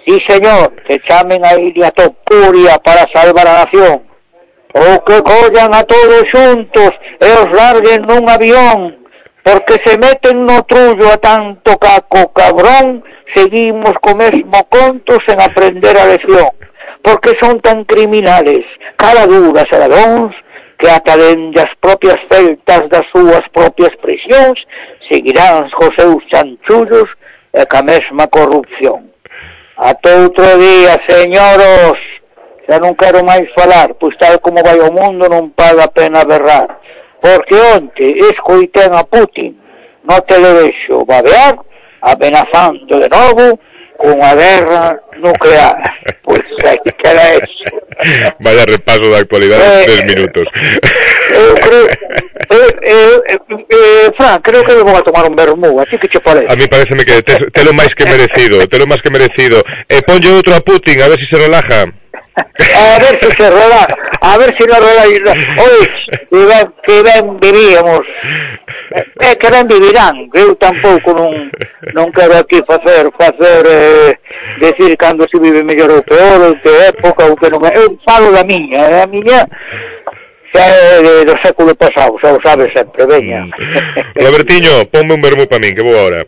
Sí, señor, que chamen a Iria Topuria para salvar a nación. Ou que collan a todos xuntos e os larguen nun avión, porque se meten no trullo a tanto caco cabrón, seguimos co mesmo conto sen aprender a lección. Porque son tan criminales, cara duras e ladróns, que ata dende as propias celtas das súas propias prisións seguirán cos seus chanchullos e ca mesma corrupción. Ata outro día, señoros, xa non quero máis falar, pois tal como vai o mundo non paga a pena berrar. Porque onte escoitén a Putin no televexo babear, amenazando de novo con a guerra nuclear. Pois aí queda eso. Vaya repaso da actualidade en eh, tres minutos. Eu creo... Eh, eh, eh, eh, Fran, creo que vou a tomar un vermú, así que che parece. A mí pareceme que te, te lo máis que merecido, te lo máis que merecido. E eh, ponlle outro a Putin, a ver si se relaja. A ver si se relaja, a ver si nos relaja. Oye, que ben, que ben vivíamos. É que ben vivirán, eu tampouco non, non quero aquí facer, facer, eh, decir cando se vive mellor ou peor, ou que época, ou que non é. Eu falo da miña, a miña xa é de, do século pasado, xa o sabes sempre, veña. Robertiño, ponme un vermú pa min, que vou agora.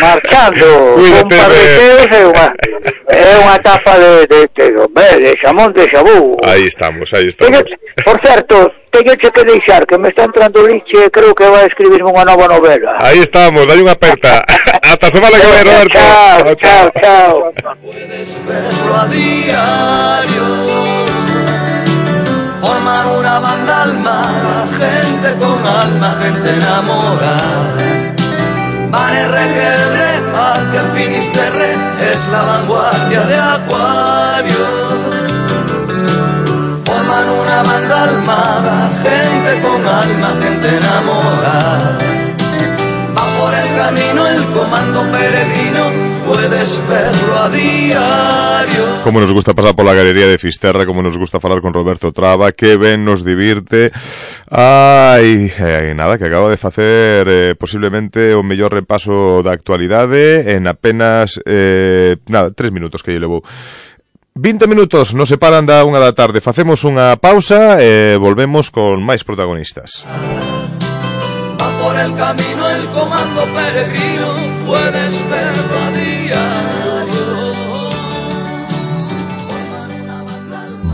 Marchando, un par de teos é unha, é unha tapa de, de, de, de, de xamón de xabú. Aí estamos, aí estamos. Teño, por certo, teño que deixar, que me está entrando liche, creo que vai a escribirme unha nova novela. Aí estamos, dai unha aperta. Hasta semana que vai, Roberto. Chao, chao, chao. Puedes verlo a diario, forman una banda almada, gente con alma, gente enamorada. Van R que R hacia el Finisterre, es la vanguardia de Acuario. Forman una banda almada, gente con alma. alma, gente enamorada. Va por el camino el comando peregrino, puedes verlo a diario. Como nos gusta pasar por la galería de Fisterra, como nos gusta falar con Roberto Traba, que ben nos divirte. Ai, ai, nada, que acaba de facer eh, posiblemente o mellor repaso da actualidade en apenas, eh, nada, tres minutos que lle levou. vinte minutos nos separan da unha da tarde. Facemos unha pausa e volvemos con máis protagonistas. Va por el camino el comando peregrino, puedes verlo a diario.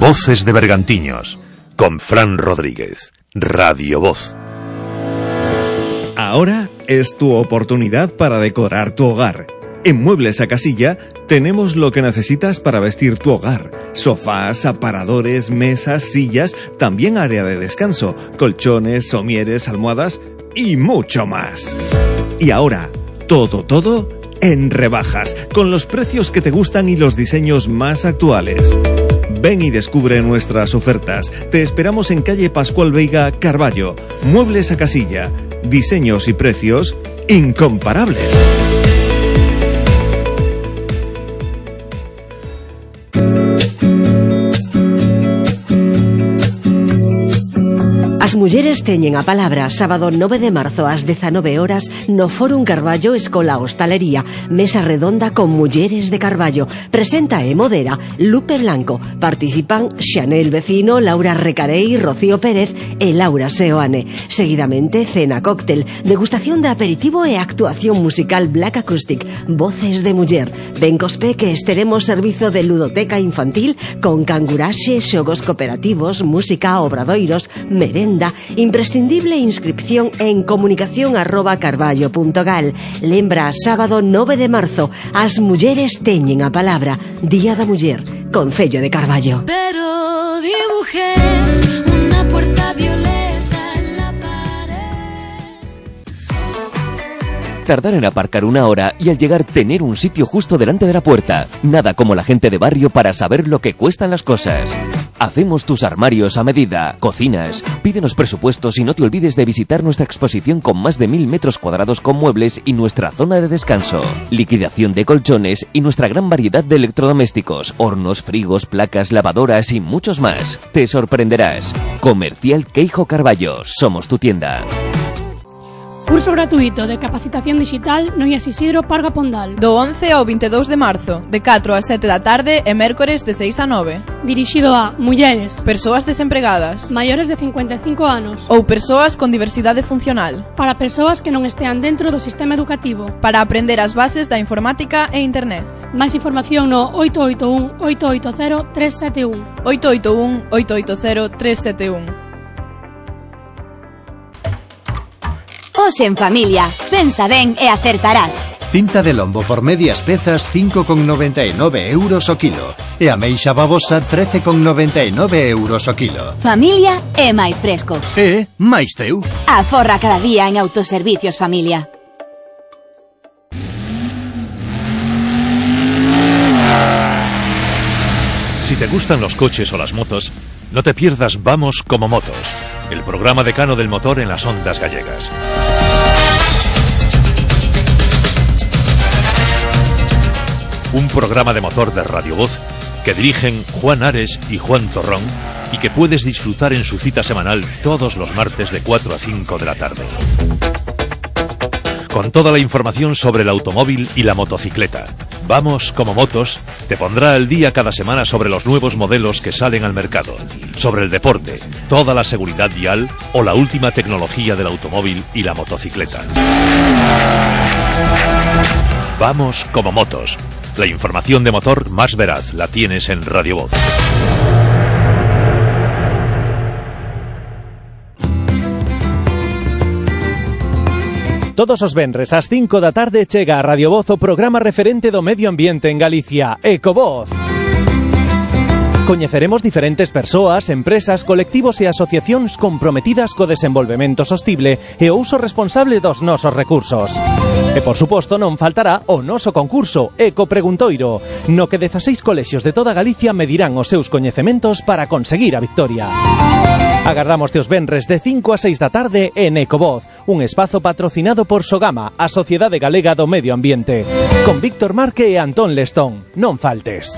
Voces de Bergantiños, con Fran Rodríguez, Radio Voz. Ahora es tu oportunidad para decorar tu hogar. En Muebles a Casilla tenemos lo que necesitas para vestir tu hogar. Sofás, aparadores, mesas, sillas, también área de descanso, colchones, somieres, almohadas y mucho más. Y ahora, todo, todo en rebajas, con los precios que te gustan y los diseños más actuales. Ven y descubre nuestras ofertas. Te esperamos en calle Pascual Veiga, Carballo. Muebles a Casilla. Diseños y precios incomparables. As mulleres teñen a palabra. Sábado nove de marzo ás dezanove horas no Fórum Carballo Escola Hostalería. Mesa redonda con mulleres de Carballo. Presenta e modera Lupe Blanco. Participan Xanel Vecino, Laura Recarei, Rocío Pérez e Laura Seoane. Seguidamente cena cóctel, degustación de aperitivo e actuación musical Black Acoustic. Voces de muller. Ben cospe que esteremos servizo de ludoteca infantil con canguraxe, xogos cooperativos, música, obradoiros, merenda. Imprescindible inscripción en comunicación arroba carballo punto gal. Lembra, sábado nove de marzo, as mulleres teñen a palabra. Día da Muller, Concello de Carballo. Pero dibujé una puerta violeta en la pared. Tardar en aparcar una hora y al llegar tener un sitio justo delante de la puerta. Nada como la gente de barrio para saber lo que cuestan las cosas. Hacemos tus armarios a medida, cocinas, pídenos presupuestos y no te olvides de visitar nuestra exposición con más de mil metros cuadrados con muebles y nuestra zona de descanso, liquidación de colchones y nuestra gran variedad de electrodomésticos, hornos, frigos, placas, lavadoras y muchos más. Te sorprenderás. Comercial Queijo Carballo, somos tu tienda. Curso gratuito de capacitación digital no IAS Isidro Parga Pondal. Do once ao veintidós de marzo, de catro a sete da tarde e mércores de seis a nove. Dirixido a mulleres, persoas desempregadas, maiores de cincuenta e cinco anos ou persoas con diversidade funcional. Para persoas que non estean dentro do sistema educativo. Para aprender as bases da informática e internet. Máis información no oito oito un, oito oito cero, tres sete un. oito oito un, oito oito cero, tres sete un. Os en familia. Pensa ben e acertarás. Cinta de lombo por medias pezas cinco con noventa e nove euros o kilo. E ameixa babosa trece con noventa e nove euros o kilo. Familia é máis fresco. E máis teu. Aforra cada día en Autoservicios Familia. Si te gustan los coches o las motos, no te pierdas Vamos como Motos, el programa decano del motor en las ondas gallegas. Un programa de motor de Radio Voz que dirigen Juan Ares y Juan Torrón y que puedes disfrutar en su cita semanal todos los martes de cuatro a cinco de la tarde. Con toda la información sobre el automóvil y la motocicleta. Vamos como Motos te pondrá al día cada semana sobre los nuevos modelos que salen al mercado, sobre el deporte, toda la seguridad vial o la última tecnología del automóvil y la motocicleta. Vamos como Motos. La información de motor más veraz la tienes en Radio Voz. Todos os venres ás cinco da tarde chega a Radio Voz o programa referente do medio ambiente en Galicia, Ecovoz. Coñeceremos diferentes persoas, empresas, colectivos e asociacións comprometidas co desenvolvemento sostible e o uso responsable dos nosos recursos. E, por suposto, non faltará o noso concurso Eco Preguntoiro, no que dezaseis colexios de toda Galicia medirán os seus coñecementos para conseguir a victoria. Agardámoste os venres de cinco a seis da tarde en Ecovoz, un espazo patrocinado por Sogama, a Sociedade Galega do Medio Ambiente. Con Víctor Marque e Antón Lestón. Non faltes.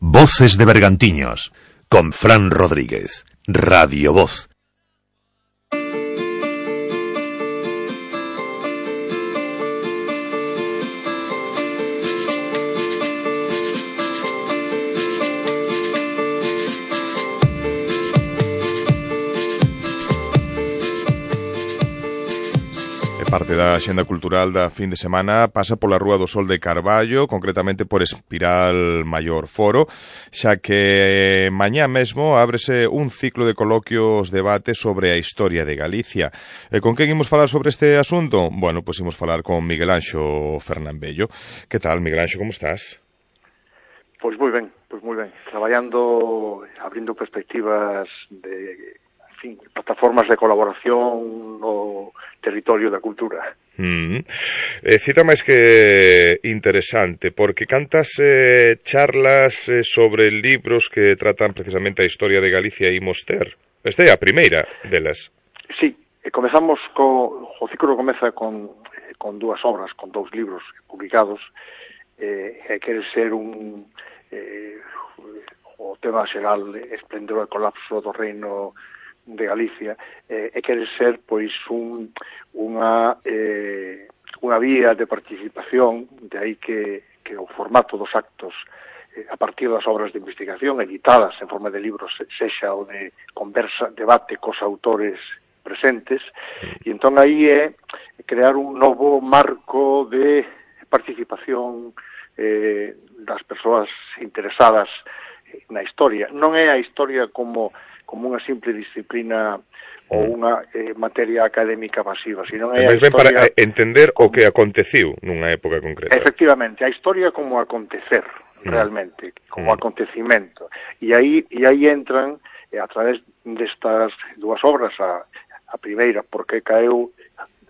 Voces de Bergantiños, con Fran Rodríguez. Radio Voz. Parte da xenda cultural da fin de semana pasa pola Rúa do Sol de Carballo, concretamente por Espiral Maior Foro, xa que mañá mesmo ábrese un ciclo de coloquios debate sobre a historia de Galicia. E con quen imos falar sobre este asunto? Bueno, pois imos falar con Miguel Anxo Fernambello. Que tal, Miguel Anxo, como estás? Pois moi ben, pois moi ben. Traballando, abrindo perspectivas de... Fin, plataformas de colaboración no territorio da cultura. Mm. Eh, cita máis que interesante, porque cantas eh, charlas eh, sobre libros que tratan precisamente a historia de Galicia e imos ter. Esta é a primeira delas. Sí, eh, comezamos co... o ciclo comeza con, eh, con dúas obras, con dous libros publicados, eh, e quere ser un... Eh, o tema xeral, esplendor e colapso do reino de Galicia, eh, e quere ser pois un, unha eh, unha vía de participación, de aí que, que o formato dos actos eh, a partir das obras de investigación editadas en forma de libros, sexa o de conversa, debate cos autores presentes, e entón aí é crear un novo marco de participación eh, das persoas interesadas na historia. Non é a historia como como unha simple disciplina ou unha eh, materia académica pasiva, sino é a historia... Ben para entender como... o que aconteceu nunha época concreta. Efectivamente, a historia como acontecer, realmente, mm. como mm. acontecimento. E aí, e aí entran, eh, a través destas dúas obras, a, a primeira, porque caeu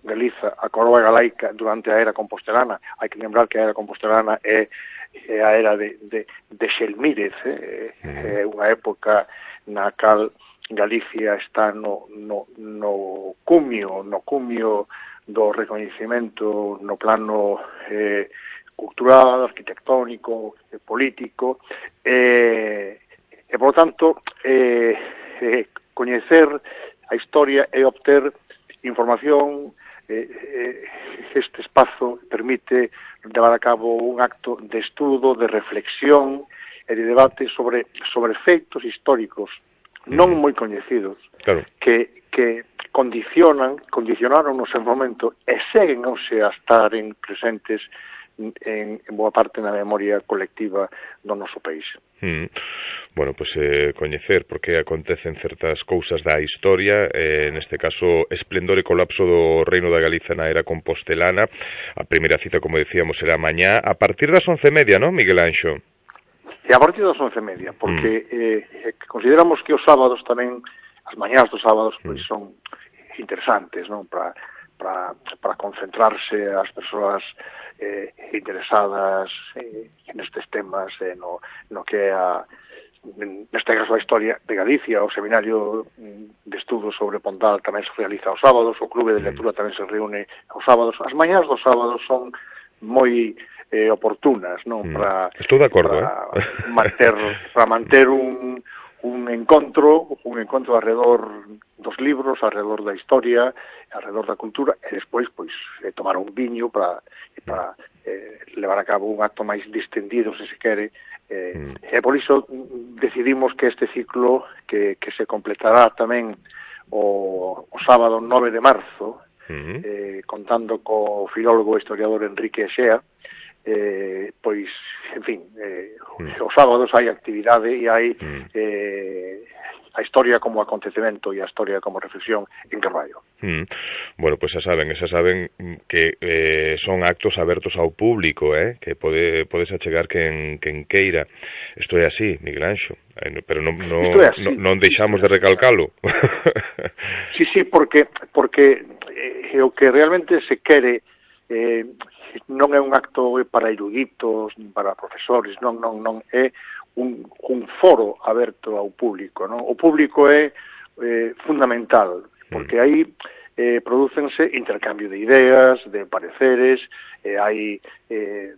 Galiza, a coroa galaica durante a era compostelana. Hai que lembrar que a era compostelana é, é a era de, de, de Xelmírez, eh, mm. é unha época na cal Galicia está no, no, no cumio, no cumio do recoñecemento no plano eh, cultural, arquitectónico, eh, político, eh, e, por lo tanto, eh, eh, coñecer a historia e obter información. Eh, eh, este espazo permite levar a cabo un acto de estudo, de reflexión e de debate sobre sobre feitos históricos non moi coñecidos, claro, que, que condicionan, condicionaron no seu momento e seguen hoxe a estar en presentes en, en boa parte na memoria colectiva do noso país. Mm. Bueno, pois pues, eh, coñecer por que acontecen certas cousas da historia, eh, neste caso, esplendor e colapso do reino da Galiza na era compostelana. A primeira cita, como decíamos, será mañá, a partir das once e media, non, Miguel Anxo? E a partir das once e media, porque mm. eh, consideramos que os sábados tamén, as mañás dos sábados, pois son interesantes, non? Para para para concentrarse as persoas eh, interesadas eh, nestes temas, eh, no, no que é a, neste caso a historia de Galicia. O seminario de estudos sobre Pondal tamén se realiza os sábados, o clube de lectura tamén se reúne os sábados. As mañás dos sábados son moi eh, oportunas, non? Mm. Para, Estou de acordo, para eh? manter, para manter un, un encontro, un encontro alrededor dos libros, alrededor da historia, alrededor da cultura, e despois, pois, eh, tomar un viño para, para eh, levar a cabo un acto máis distendido, se se quere. Eh, mm. E por iso decidimos que este ciclo, que, que se completará tamén o, o sábado nove de marzo, mm. eh, contando co filólogo e historiador Enrique Exea, eh, pois, en fin, eh, mm. os sábados hai actividade e hai mm. eh, a historia como acontecemento e a historia como reflexión en Carballo. Mm. Bueno, pois pues xa saben, xa saben que eh, son actos abertos ao público, eh, que pode podes achegar quen, quen queira. Isto é así, Miguel Anxo, eh, pero non no, no, non deixamos de recalcalo. Sí, sí, porque porque eh, o que realmente se quere eh, non é un acto para eruditos, nin para profesores, non, non, non, é un, un foro aberto ao público, non? O público é eh, fundamental, porque aí eh, producense intercambio de ideas, de pareceres, eh, hai eh,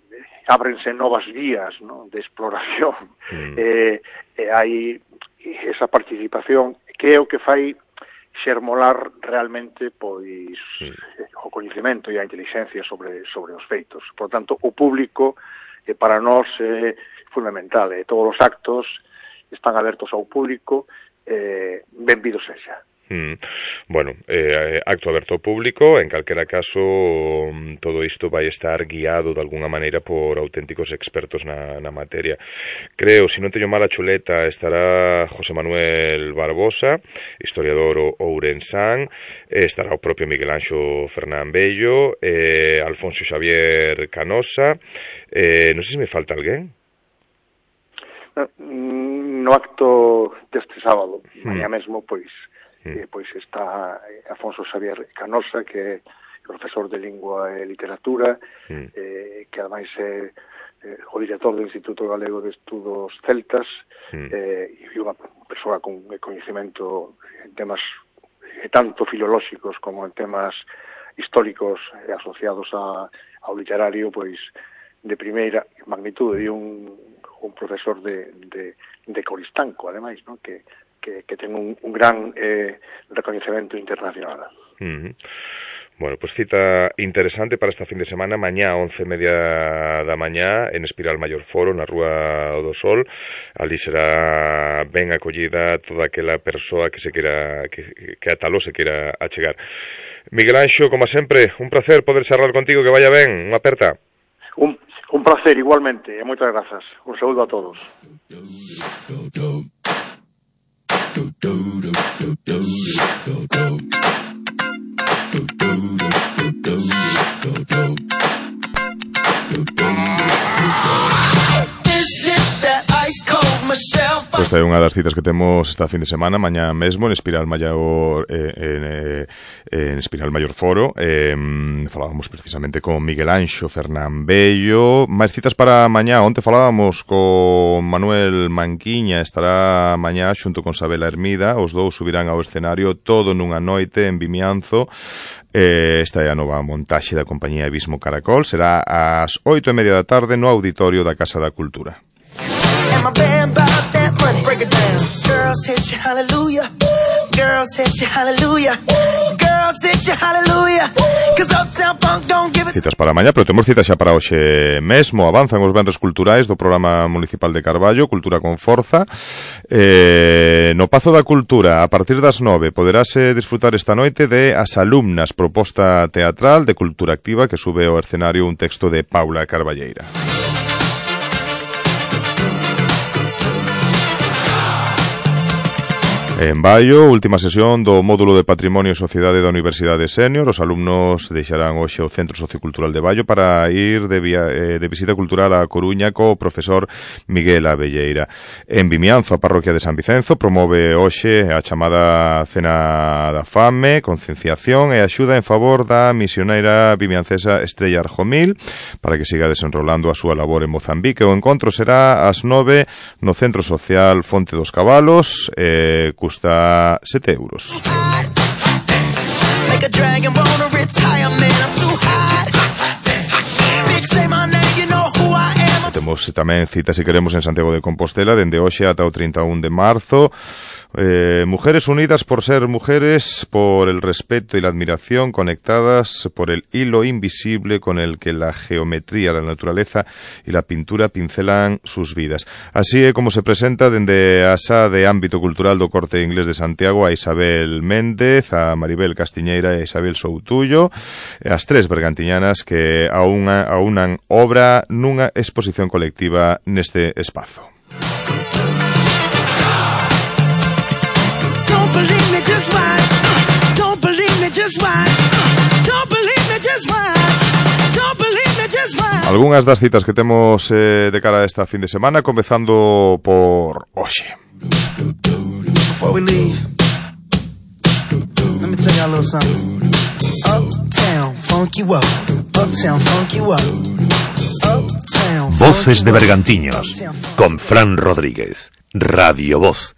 ábrense novas vías, non? De exploración, mm. eh, eh, hai esa participación que é o que fai xermolar realmente pois sí. o coñecemento e a inteligencia sobre sobre os feitos. Por tanto, o público eh, para nós é fundamental, e eh, todos os actos están abertos ao público, eh, benvidos sexa. Mm. Bueno, eh, acto aberto ao público, en calquera caso todo isto vai estar guiado de alguna maneira por auténticos expertos na, na materia. Creo, se non teño mala chuleta, estará José Manuel Barbosa, historiador ourensán, estará o propio Miguel Anxo Fernán Bello, eh, Alfonso Xavier Canosa, eh, non sei se me falta alguén. No acto deste sábado, mm. mañá mesmo, pois Eh, pois está Alfonso Xavier Canosa, que é profesor de Lingua e Literatura, mm. eh, que ademais é eh, o director do Instituto Galego de Estudos Celtas, mm. eh, e unha persoa con coñecemento en temas eh, tanto filolóxicos como en temas históricos eh, asociados a, ao literario, pois de primeira magnitude, e un, un profesor de, de, de Coristanco, ademais, non? que que, que ten un, un gran eh, recoñecemento internacional. Uh-huh. Bueno, pues cita interesante para esta fin de semana, mañá once e media da mañá en Espiral Maior Foro, na Rúa do Sol. Ali será ben acollida toda aquela persoa que se quera que, que a taló se quera achegar. Miguel Anxo, como sempre, un placer poder charlar contigo, que vaya ben, unha aperta. Un, un placer igualmente, e moitas grazas. Un saúdo a todos. Esta é unha das citas que temos esta fin de semana, mañá mesmo, en Espiral Maior, eh, en, eh, en Espiral Maior Foro. Eh, falábamos precisamente con Miguel Anxo Fernán Bello. Máis citas para mañá. Onte falábamos con Manuel Manquiña, estará mañá xunto con Sabela Hermida. Os dous subirán ao escenario todo nunha noite en Vimianzo. Eh, esta é a nova montaxe da compañía Abismo Caracol. Será ás oito e media da tarde no auditorio da Casa da Cultura. Citas para mañá, pero temos citas xa para hoxe mesmo. Avanzan os venres culturais do Programa Municipal de Carballo, Cultura con Forza. Eh, no Pazo da Cultura, a partir das nove, poderase disfrutar esta noite de As Alumnas, proposta teatral de cultura activa que sube ao escenario un texto de Paula Carballeira. En Baio, última sesión do módulo de Patrimonio e Sociedade da Universidade Sénior. Os alumnos deixarán hoxe o Centro Sociocultural de Baio para ir de, via, eh, de visita cultural a Coruña co profesor Miguel Abelleira. En Vimianzo, a parroquia de San Vicenzo promove hoxe a chamada Cena da Fame, concienciación e axuda en favor da misioneira vimiancesa Estrella Arjomil para que siga desenrolando a súa labor en Mozambique. O encontro será ás nove no Centro Social Fonte dos Cabalos, eh, custa sete euros. Temos tamén citas, se queremos, en Santiago de Compostela dende hoxe ata o trinta e un de marzo. Eh, mujeres unidas por ser mujeres, por el respeto y la admiración, conectadas por el hilo invisible con el que la geometría, la naturaleza y la pintura pincelan sus vidas. Así é como se presenta dende a Sa de Ámbito Cultural do Corte Inglés de Santiago a Isabel Méndez, a Maribel Castiñeira e a Isabel Soutullo, as tres bergantiñanas que aunan, aunan obra nunha exposición colectiva neste espazo. Algunhas das citas que temos eh, de cara a esta fin de semana, comezando por hoxe. Before we leave, let me tell you a little something. Uptown, funk you up. Uptown, funk you up. Uptown. Voces de Bergantiños, con Fran Rodríguez, Radio Voz.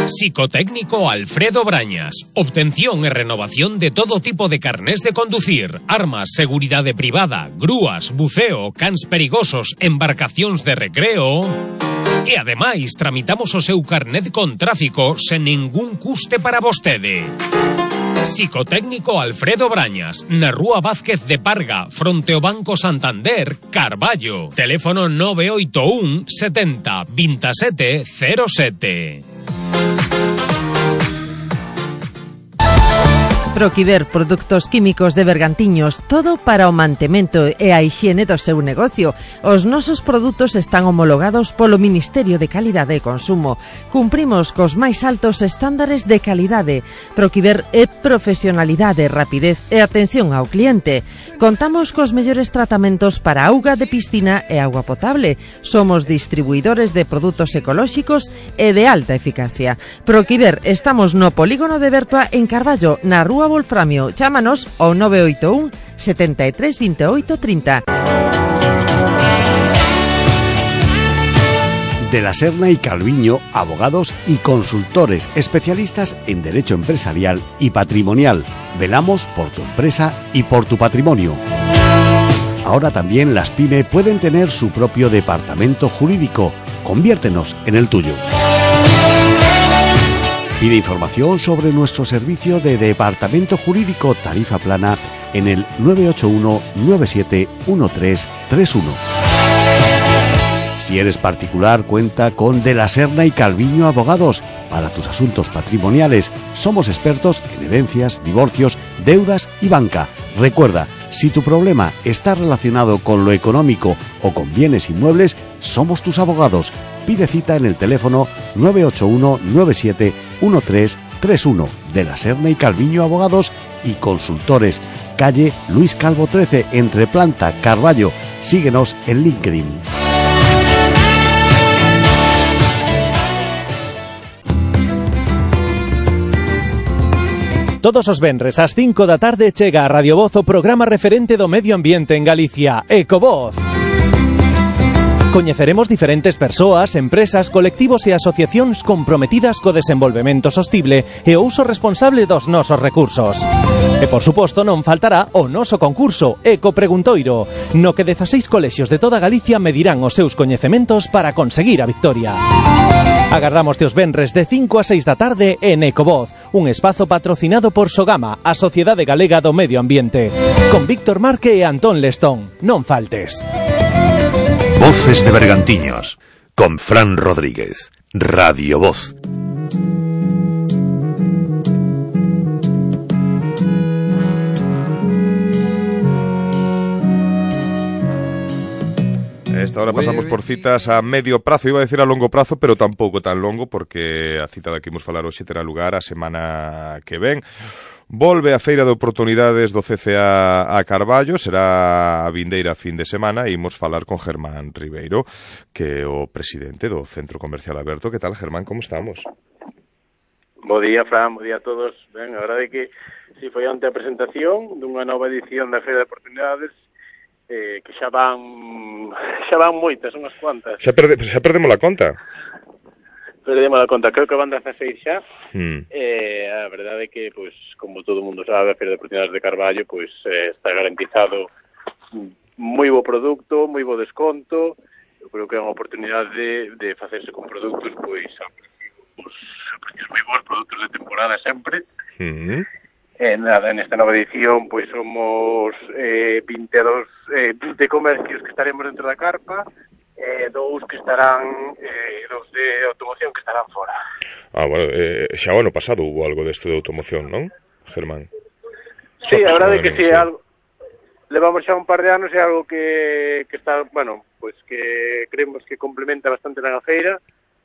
Psicotécnico Alfredo Brañas. Obtención e renovación de todo tipo de carnés de conducir, armas, seguridade privada, grúas, buceo, cans perigosos, embarcacións de recreo. E ademais tramitamos o seu carnet con tráfico sen ningún custe para vostede. Psicotécnico Alfredo Brañas, na Rúa Vázquez de Parga, fronte ao Banco Santander, Carballo. Teléfono nove oito un setenta veintisiete cero sete. Proquiver Produtos Químicos de Bergantiños, todo para o mantemento e a hixiene do seu negocio. Os nosos produtos están homologados polo Ministerio de Calidade e Consumo. Cumprimos cos máis altos estándares de calidade. Proquiver é profesionalidade, rapidez e atención ao cliente. Contamos cos mellores tratamentos para auga de piscina e auga potable. Somos distribuidores de produtos ecolóxicos e de alta eficacia. Proquiver, estamos no Polígono de Bertoa en Carballo, na Rúa Wolframio. Chámanos ao nove oito un setenta e tres veintiocho trinta. De la Serna y Calviño, abogados y consultores especialistas en derecho empresarial y patrimonial. Velamos por tu empresa y por tu patrimonio. Ahora también las pyme pueden tener su propio departamento jurídico. Conviértenos en el tuyo. Pide información sobre nuestro servicio de departamento jurídico tarifa plana en el nueve ocho uno nueve siete uno tres tres uno. Si eres particular, cuenta con De la Serna y Calviño Abogados para tus asuntos patrimoniales. Somos expertos en herencias, divorcios, deudas y banca. Recuerda, si tu problema está relacionado con lo económico o con bienes inmuebles, somos tus abogados. Pide cita en el teléfono nueve ocho uno nueve siete uno tres tres uno. De la Serna y Calviño Abogados y Consultores. Calle Luis Calvo trece, entre Planta, Carballo. Síguenos en LinkedIn. Todos os venres ás cinco da tarde chega a Radio Voz o programa referente do medio ambiente en Galicia, Ecovoz. Coñeceremos diferentes persoas, empresas, colectivos e asociacións comprometidas co desenvolvemento sostible e o uso responsable dos nosos recursos. E, por suposto, non faltará o noso concurso Eco Preguntoiro, no que dezaseis colexios de toda Galicia medirán os seus coñecementos para conseguir a victoria. Agardamos os venres de cinco a seis da tarde en Ecovoz, un espazo patrocinado por Sogama, a Sociedade Galega do Medio Ambiente, con Víctor Marque e Antón Lestón. Non faltes. Voces de Bergantiños, con Fran Rodríguez, Radio Voz. A esta hora pasamos por citas a medio prazo, iba a decir a longo prazo, pero tampouco tan longo, porque a cita da que imos falar hoxe terá lugar a semana que ven. Volve a Feira de Oportunidades do C C A a Carballo, será a vindeira fin de semana, e imos falar con Germán Ribeiro, que é o presidente do Centro Comercial Aberto. Que tal, Germán, como estamos? Bo día, Fran, bo día a todos. Ben, a verdade é que si foi onte a presentación dunha nova edición da Feira de Oportunidades, eh, que xa van xa van moitas, unhas cuantas. Xa, perde, xa perdemos a conta. Perdemos a conta, creo que van dezaseis xa. Mm. Eh, a verdade é que, pois, como todo o mundo sabe, a Feira de Oportunidades de Carballo, pois, eh, está garantizado moi bo produto, moi bo desconto. Eu creo que é unha oportunidade de, de facerse con produtos, pois, a precios, a precios moi bons, produtos de temporada sempre. Mm. Eh, nada, nesta nova edición, pois, somos eh, vinte e dous eh, de comercios que estaremos dentro da carpa, eh, dous que estarán, eh, dous de automoción que estarán fora. Ah, bueno, eh, xa o ano pasado hubo algo desto de automoción, non, Germán? Sí, a verdade é que si sí, algo levamos xa un par de anos, é algo que, que está, bueno, pois que creemos que complementa bastante na feira.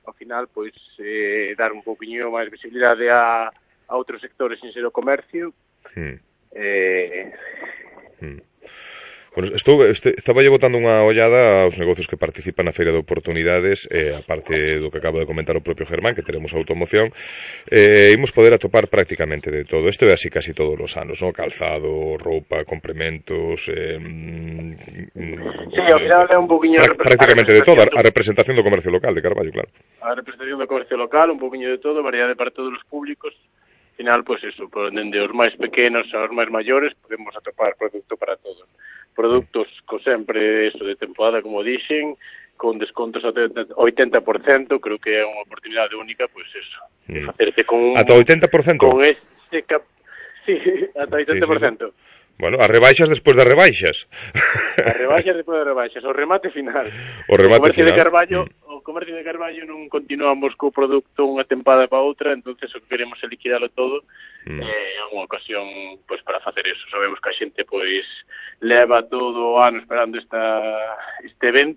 Ao final, pois, eh, dar un pouquiño máis visibilidade a, a outros sectores sin ser o comercio. Hmm. Eh... Hmm. Bueno, estou, este, estaba lle botando unha ollada aos negocios que participan na Feira de Oportunidades, eh, aparte do que acaba de comentar o propio Germán, que teremos automoción, eh, imos poder atopar prácticamente de todo. Isto é así casi todos os anos, ¿no? Calzado, roupa, complementos, eh, sí, ao final é un poquinho prácticamente de todo, a representación do comercio local de Carballo, claro. A representación do comercio local, un poquinho de todo, variedade para todos os públicos. Al final, pues eso, dende os máis pequenos aos máis maiores, podemos atopar produto para todos. Produtos co sempre eso de temporada, como dixen, con descontos ata oitenta por cento, creo que é unha oportunidade única, pues eso, de facerte con un... Ata oitenta por cento? Con este cap... Sí, ata oitenta por cento. Sí, sí, sí. Bueno, as rebaixas despois das rebaixas. As rebaixas despois das rebaixas, o remate final. O remate o comercio final. De Carballo, mm. O comercio de Carballo non continuamos co produto unha tempada para outra, entonces o que queremos é liquidalo todo. Mm. Eh, é unha ocasión pois para facer eso. Sabemos que a xente pois leva todo o ano esperando esta este evento